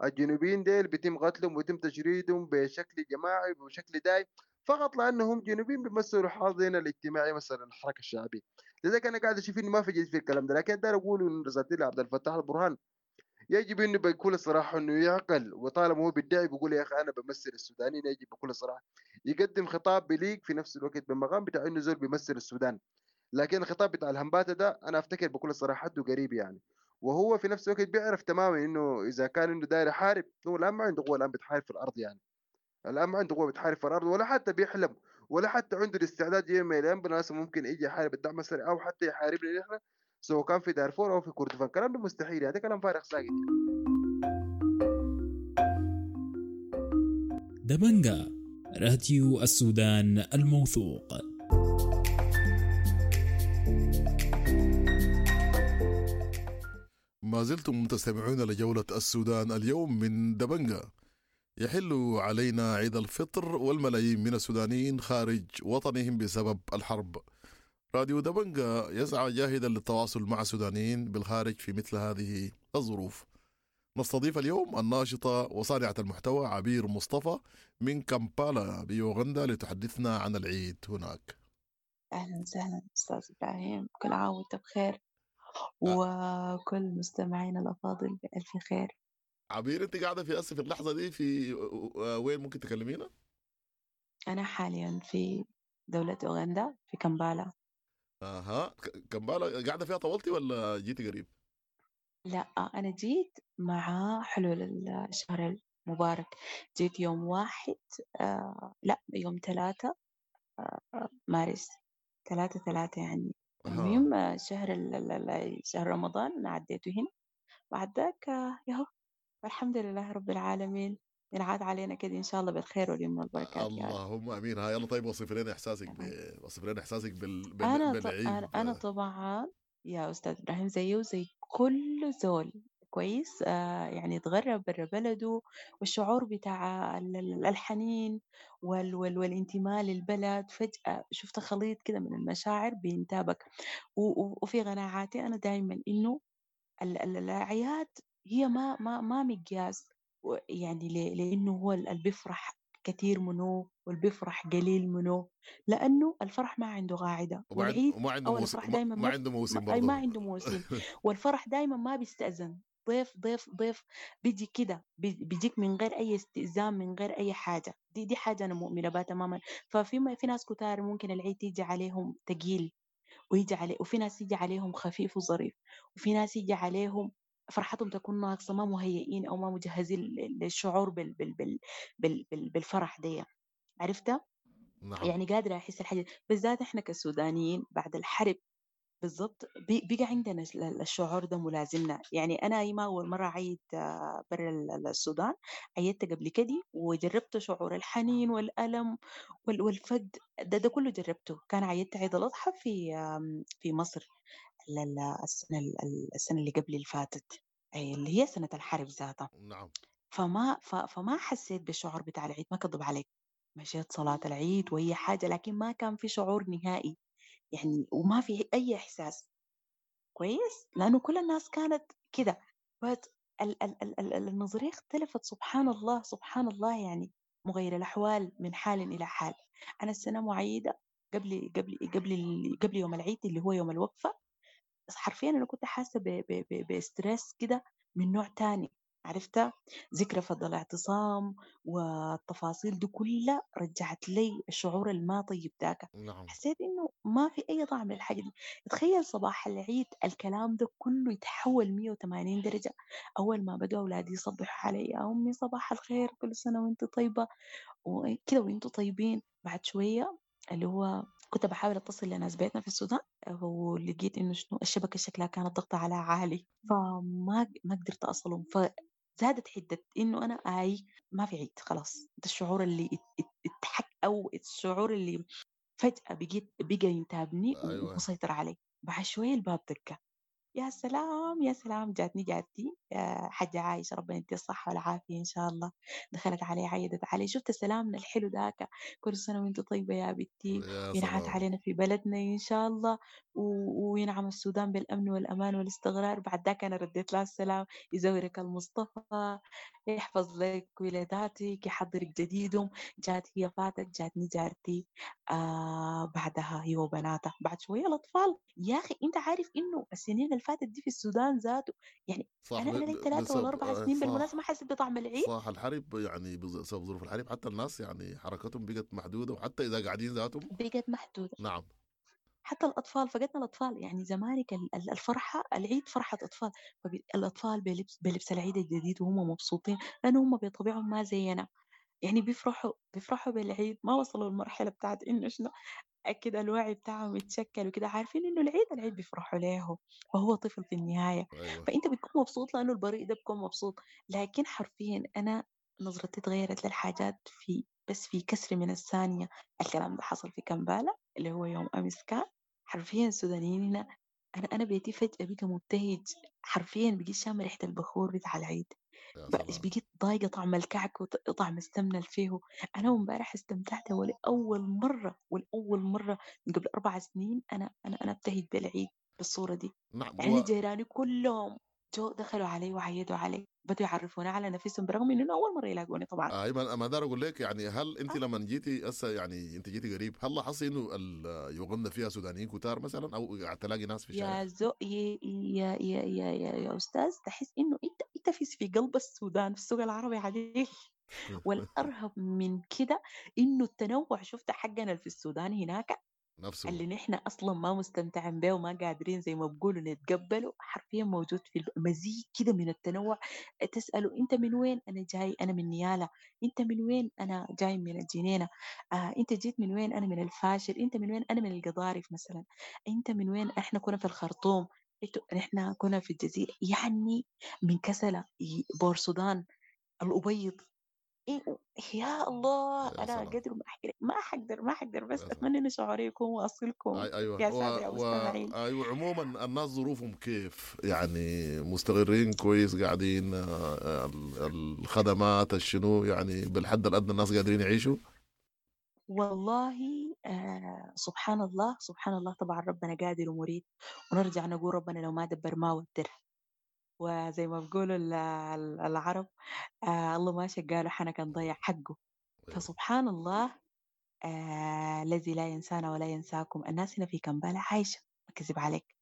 F: الجنوبيين ديل بيتم قتلهم ويتم تشريدهم بشكل جماعي وبشكل دائم فقط لانهم جنوبيين بيمثلوا حاضنة الاجتماعي مثلا الحركة الشعبية. لذلك انا قاعد اشوف انه ما في جديد في الكلام ده. لكن داير اقول انه رسالتي لعبد الفتاح البرهان يجب انه بكل صراحة انه يعقل، وطالما هو بيدعي بيقول يا اخي انا بمثل السودانيين، يجب بكل صراحة يقدم خطاب بليق في نفس الوقت بالمقام بتاع انه زول بيمثل السودان. لكن الخطاب بتاع الهمباته ده انا افتكر بكل صراحة حده قريب يعني، وهو في نفس الوقت بيعرف تماما انه اذا كان انه داير يحارب هو الان ما عنده قوة الان بتحارب في الارض يعني، الان ما عنده قوة بتحارب في الارض ولا حتى بيحلم ولا حتى عنده الاستعداد يوم من الايام بالمناسبة ممكن يجي يحارب الدعم السريع او حتى يحاربنا نحن سواء كان في دارفور او في كردفان. الكلام ده مستحيل يعني، ده كلام فارغ ساكت.
P: دبنجا، راديو السودان الموثوق.
B: ما زلتم تستمعون لجولة السودان اليوم من دبنجا. يحل علينا عيد الفطر والملايين من السودانيين خارج وطنهم بسبب الحرب. راديو دبنجا يسعى جاهدا للتواصل مع السودانيين بالخارج في مثل هذه الظروف. نستضيف اليوم الناشطة وصانعة المحتوى عبير مصطفى من كامبالا بيوغندا لتحدثنا عن العيد هناك.
E: أهلا وسهلا أستاذ إبراهيم، كل عام وأنت بخير وكل مستمعينا الأفاضل بألف خير.
B: عبير، أنت قاعدة في أسف اللحظة دي في وين ممكن تكلمينا؟
E: أنا حاليا في دولة أوغندا في كامبالا.
B: أها، كامبالا قاعدة فيها طولتي ولا جيتي قريب؟
E: لا، أنا جيت مع حلول الشهر المبارك، جيت يوم واحد آه لا يوم ثلاثة آه مارس، ثلاثة ثلاثة يعني. المهم شهر شهر رمضان أنا عديته هنا، بعد ذاك ياهو والحمد لله رب العالمين، ينعاد علينا كده إن شاء الله بالخير واليمن والبركات.
B: اللهم آمين. ها يلا طيب، وصف لنا إحساسك ب... وصف لنا إحساسك بال... بال...
E: أنا
B: بالعيد.
E: أنا, أنا طبعا يا أستاذ إبراهيم زيه وزي كل زول كويس، آه يعني اتغرب برا بلده، والشعور بتاع الحنين وال وال والانتماء للبلد، فجأة شفت خليط كده من المشاعر بينتابك. وفي قناعاتي أنا دايما إنه الأعياد هي ما ما ما مقياس، يعني لأنه هو اللي بيفرح كثير منه واللي بيفرح قليل منه، لأنه الفرح ما عنده قاعدة، والعيد
B: وما عنده
E: أو
B: موسم،
E: الفرح دايما
B: ما عنده موسم برضه،
E: ما عنده موسم والفرح دايما ما بيستأذن، ضيف ضيف ضيف بيجي كده، بيجيك من غير أي استئذان، من غير أي حاجة. دي دي حاجة أنا مؤمنة بها تماما. ففي ما في ناس كتار ممكن العيد يجي عليهم تقيل ويجي عليه، وفي ناس يجي عليهم خفيف وظريف، وفي ناس يجي عليهم فرحتهم تكون ناقصة، ما مهيئين أو ما مجهزين للشعور بال بال بال بال بال بالفرح دي، عرفتها؟
B: نعم.
E: يعني قادرة أحس الحاجة، بالذات إحنا كسودانيين بعد الحرب بالضبط بقى عندنا الشعور ده ملازمنا. يعني أنا ما أول مرة عيد برا السودان، عيدت قبل كده وجربت شعور الحنين والألم والفقد ده, ده كله جربته. كان عيدت عيد الأضحى في في مصر السنة السنة اللي قبل اللي فاتت، اللي هي سنة الحرب ذاتها.
B: نعم.
E: فما فما حسيت بالشعور بتاع العيد، ما كذب عليك، مشيت صلاة العيد وهي حاجة، لكن ما كان في شعور نهائي يعني، وما في أي إحساس كويس، لأنه كل الناس كانت كده. بس ال ال ال ال النظرية اختلفت، سبحان الله سبحان الله، يعني مغير الأحوال من حال إلى حال. أنا السنة معيدة قبل قبل قبل قبل يوم العيد اللي هو يوم الوقفة، حرفيا أنا كنت حاسة ب stress كده من نوع تاني، عرفتها؟ ذكرى فضل الاعتصام والتفاصيل دي كلها رجعت لي الشعور الما طيب ذاك.
B: نعم.
E: حسيت إنه ما في أي طعم للحاجة دي. تخيل صباح العيد الكلام ده كله يتحول مية وثمانين درجة. أول ما بدأوا أولادي يصبحوا علي، يا أمي صباح الخير، كل سنة وأنت طيبة وكده وأنتوا طيبين. بعد شوية اللي هو كنت بحاول أتصل لناس بيتنا في السودان، ولقيت إنه شنو الشبكة شكلها كانت ضغطة على عالي، فما ما قدرت أصلهم، فزادت حدة إنه أنا آي ما في عيد خلاص. ده الشعور اللي اتحك أو الشعور اللي فجأة بقيت بقى ينتابني
B: أيوة.
E: ومسيطر علي. بعد شوية الباب دقة، يا سلام يا سلام، جاتني جاتي حاجة عايشة، ربنا يديها الصحة والعافية إن شاء الله. دخلت علي عيدت علي، شفت سلامنا الحلو ذاك، كل سنة وانت طيبة يا بنتي، ينعاد علينا في بلدنا إن شاء الله، و... وينعم السودان بالأمن والأمان والاستقرار. بعد ذاك أنا رديت لها السلام، يزورك المصطفى، يحفظ لك ولاداتك، يحضرك جديدهم. جات هي فاتت، جاتني جارتي آه بعدها هي وبناتها، بعد شوية الأطفال. يا أخي أنت عارف إنه السنين اللي فاتت دي في السودان ذاته، يعني
B: صح،
E: أنا أنا لي ثلاثة ولا أربع سنين بالمناسبة ما حسيت بطعم العيد.
B: صح، الحرب يعني بسبب ظروف الحرب حتى الناس يعني حركتهم بقت محدودة، وحتى إذا قاعدين ذاتهم
E: بقت محدودة.
B: نعم،
E: حتى الأطفال، فقدنا الأطفال. يعني زمانك الفرحة، العيد فرحة أطفال، فالأطفال بلبس بلبس العيد الجديد وهم مبسوطين، لأنه هم بطبيعهم ما زينا، يعني بيفرحوا بيفرحوا بالعيد، ما وصلوا المرحلة بتاعت إنه شنو أكيد الوعي بتاعهم يتشكل وكده، عارفين إنه العيد العيد بيفرحوا له، وهو طفل في النهاية.
B: أيوة.
E: فأنت بتكون مبسوط لأنه البريء ده بيكون مبسوط. لكن حرفيا أنا نظرتي تغيرت للحاجات في بس في كسر من الثانية. الكلام ده حصل في كمبالة اللي هو يوم أمس، كان حرفيا السودانيين هنا، أنا أنا بيتي فجأة بقى مبتهج، حرفيا بقيت شامة ريحة البخور بتاع العيد، بقيت ضايقة طعم الكعك وطعم السمنة اللي فيه. أنا امبارح استمتعت ولأول مرة، ولأول مرة من قبل أربع سنين أنا أنا أنا ابتهج بالعيد بالصورة دي.
B: نعم.
E: يعني و... جيراني كلهم جو دخلوا علي وعيدوا علي، بدوا يعرفوني على نفسهم برغم انه اول مره يلاقوني طبعا.
B: ايوه، ما دار اقول لك يعني، هل انت آه. لما جيتي هسه، يعني انت جيتي قريب، هل لاحظتي انه يوغندا فيها سودانيين كتار مثلا، او قاعد تلاقي ناس في الشارع؟
E: يا زو يا يا يا يا, يا, يا استاذ، تحس انه انت انت في في قلب السودان، في السوق العربي عديل. والارهب من كده انه التنوع، شفت حقنا في السودان هناك
B: نفسه
E: اللي نحن أصلا ما مستمتعين به وما قادرين زي ما بقولوا نتقبله، حرفيا موجود في مزيج كده من التنوع. تسأله أنت من وين؟ أنا جاي، أنا من نيالا. أنت من وين؟ أنا جاي من الجنينة. آه، أنت جيت من وين؟ أنا من الفاشر. أنت من وين؟ أنا من القضارف مثلا. أنت من وين؟ إحنا كنا في الخرطوم، إحنا كنا في الجزيرة، يعني من كسلة، بورسودان، الأبيض، إيه يا الله،
B: يا
E: أنا
B: سلام.
E: قدر ما أحكي لك ما حقدر ما حقدر، بس
B: يا سلام.
E: أتمنى إنه شعوري يكون واصلكم
B: أي ايوه
E: يا
B: و...
E: سادة يا
B: و...
E: مستمعين.
B: ايوه عموما الناس ظروفهم كيف؟ يعني مستقرين كويس، قاعدين آه، ال- الخدمات الشنو يعني بالحد الادنى الناس قادرين يعيشوا؟
E: والله آه سبحان الله، سبحان الله، طبعا ربنا قادر ومريد، ونرجع نقول ربنا لو ما دبر ما ودر، وزي ما بيقولوا ال- ال- العرب آه الله ما شقاله حنك نضيع حقه. فسبحان الله آه الذي لا ينسانا ولا ينساكم. الناس هنا في كمبالة عايشة، ما كذب عليك.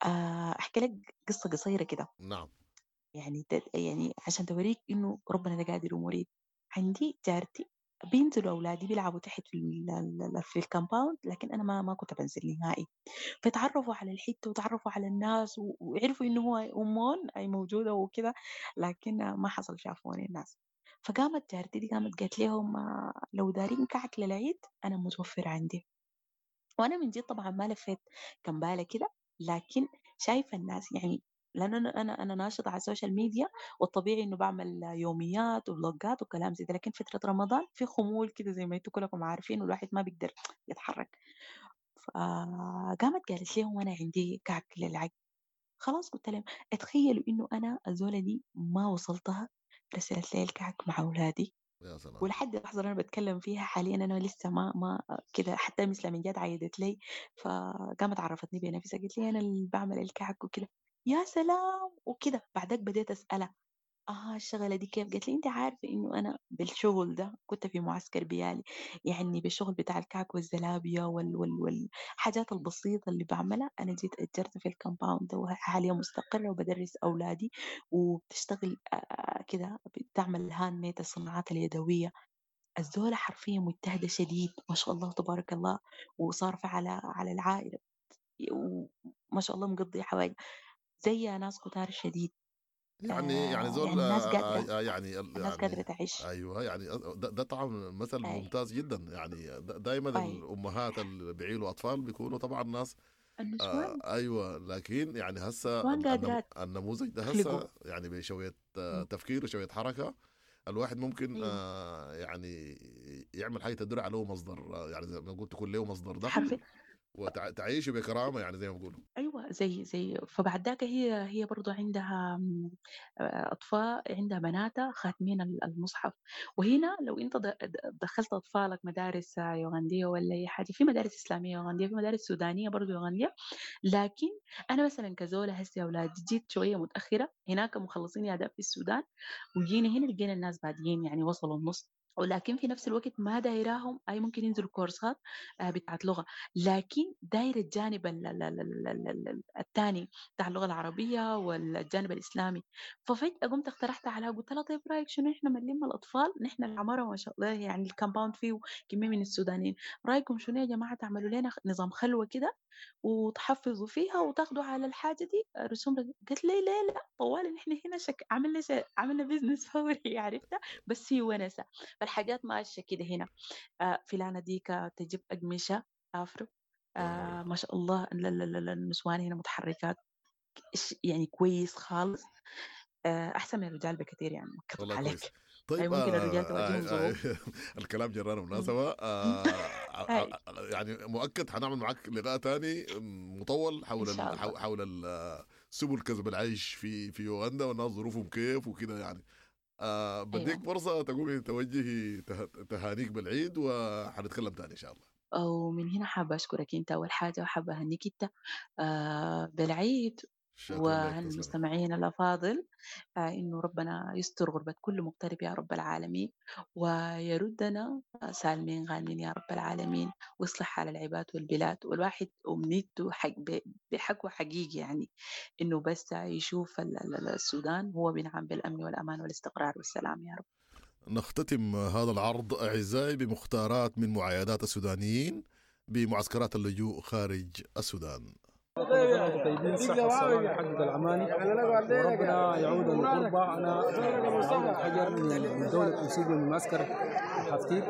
E: آه أحكي لك قصة قصيرة كده،
B: نعم.
E: يعني ت- يعني عشان توريك إنه ربنا ده قادر ومريد. عندي جارتي بينزلوا أولادي بيلعبوا تحت في ال- ال- في ال compound، لكن أنا ما ما كنت بنزل نهائي. فتعرفوا على الحتة وتعرفوا على الناس و- وعرفوا إنه هو أمون أي موجودة وكده، لكن ما حصل شافوني الناس. فقامت جارتي دي قامت قالت لهم آه، لو دارين كعك للعيد أنا متوفر عندي. وأنا من جد طبعا ما لفيت كمبالة كده، لكن شايفة الناس يعني، لأنه أنا أنا أنا ناشطة على ال social media، والطبيعي إنه بعمل يوميات وبلوجات وكلام زي ده، لكن فترة رمضان في خمول كده زي ما انتوا كلكم عارفين، والواحد ما بيقدر يتحرك. فقامت قالت لهم أنا عندي كعك للعيد. خلاص قلت لهم اتخيلوا إنه أنا الزولة دي ما وصلتها، رسلت لي الكعك مع أولادي.
B: يا سلام.
E: ولحد اللحظة اللي أنا بتكلم فيها حاليا أنا لسه ما ما كده، حتى مثل من جات عيدت لي، فقامت عرفتني بنفسها، قالت لي أنا اللي بعمل الكعك وكده. يا سلام وكده. بعدك بديت أسألها آه الشغلة دي كيف؟ قالت لي أنت عارفة إنه أنا بالشغل ده كنت في معسكر بيالي، يعني بالشغل بتاع الكعك والزلابية وال وال والحاجات البسيطة اللي بعملها، أنا جيت أجرت في ال compound ده، وحاليا مستقرة وبدرس أولادي، وبتشتغل آه، كده بتعمل handmade الصناعات اليدوية. الزولة حرفيا مجتهدة شديد ما شاء الله تبارك الله، وصارفة على على العائلة، وما شاء الله مقضية حوائج زي ناس كتار شديد.
B: يعني يعني
E: آه
B: زول
E: يعني الناس
B: آه،
E: قادرة،
B: آه، يعني ال-
E: الناس
B: يعني
E: قادرة تعيش.
B: ايوه يعني ده, ده طبعا مثل
E: أي
B: ممتاز جدا. يعني دائما
E: أي
B: الامهات اللي بيعيلوا اطفال بيكونوا طبعا ناس آه
E: النسوان
B: ايوه، لكن يعني هسه
E: نسوان
B: النم-
E: قادرات
B: النموذج ده
E: يخلقوا.
B: هسه يعني بشويه آه،
E: مم.
B: تفكير وشويه حركه الواحد ممكن
E: أيوة
B: آه يعني يعمل حاجه تدر عليه مصدر، آه، يعني زي ما قلت تكون له مصدر دخل
E: حرفيا
B: وتعيش بكرامه، يعني زي ما بيقولوا.
E: ايوه زي زي فبعد ذاك هي هي برضو عندها م، آه، اطفال، عندها بناتها خاتمين ال- المصحف. وهنا لو انت د- د- دخلت اطفالك مدارس آه، يوغنديه ولا اي حاجه، في مدارس اسلاميه يوغنديه، في مدارس سودانيه برضو يوغنديه، لكن انا مثلا كزوله هسه اولادي جيت شويه متاخره، هناك مخلصين يا في السودان، وجينا هنا لقينا الناس بادئين يعني وصلوا النص، ولكن في نفس الوقت ما دايراهم اي ممكن ينزلوا كورسات آه، بتاعت لغه، لكن داير الجانب ال- ال- ال- ال- ال- ال- الثاني بتاع اللغة العربية والجانب الإسلامي. ففجأة قمت اقترحت عليها قلت لها طيب رأيك شنو إحنا بنلم الأطفال، نحن العمارة ما شاء الله يعني ال compound فيه كمية من السودانيين، رأيكم شنو يا جماعة تعملوا لنا نظام خلوة كده وتحفظوا فيها وتاخدوا على الحاجة دي رسوم؟ قالت لي لا لا طوال نحن هنا شك عملنا ش... عملنا business فوري عرفتها، بس هي ونسة. فالحاجات ماشية كده هنا. آه، فلانة ديك تجيب أقمشة afro، آه ما شاء الله لا لا لا لا، النسوان هنا متحركات ش- يعني كويس خالص، آه احسن من الرجال بكثير يعني، ما اكذب
B: والله
E: عليك.
B: كويس. طيب
E: أي ممكن الرجال
B: آه
E: تواجههم
B: آه
E: ظروف.
B: آه الكلام جرانا
E: مم.
B: مناسبة. آه
E: هاي
B: يعني مؤكد حنعمل معك لقاء تاني مطول
E: ان
B: حول
E: شاء
B: ال
E: الله.
B: حول حول ال- سبل كسب العيش في في يوغندا والناس ظروفهم كيف وكده يعني. آه بديك
E: ايوه
B: فرصة تقومي توجهي ته- تهانيك بالعيد، وحنتكلم تاني إن شاء الله.
E: ومن هنا حابة أشكرك أنت أول حاجة، وحابة أهنيك أنت آه بالعيد،
B: شكرا لك،
E: وأهني
B: تسلمي.
E: المستمعين الأفاضل آه إنه ربنا يستر غربة كل مغترب يا رب العالمين، ويردنا سالمين غانمين يا رب العالمين، ويصلح حال العباد والبلاد. والواحد أمنيته حق ب- بحق حقيقي يعني إنه بس يشوف ال- ال- السودان هو بينعم بالأمن والأمان والاستقرار والسلام يا رب.
B: نختتم هذا العرض أعزائي بمختارات من معايدات السودانيين بمعسكرات اللجوء خارج السودان.
Q: كل سنة وانتم طيبين، صحة والسلامة يحقق الأماني، وربنا يعود الغربة. أنا عون الحجر من دولة أوسيبيا من معسكر حفتيت.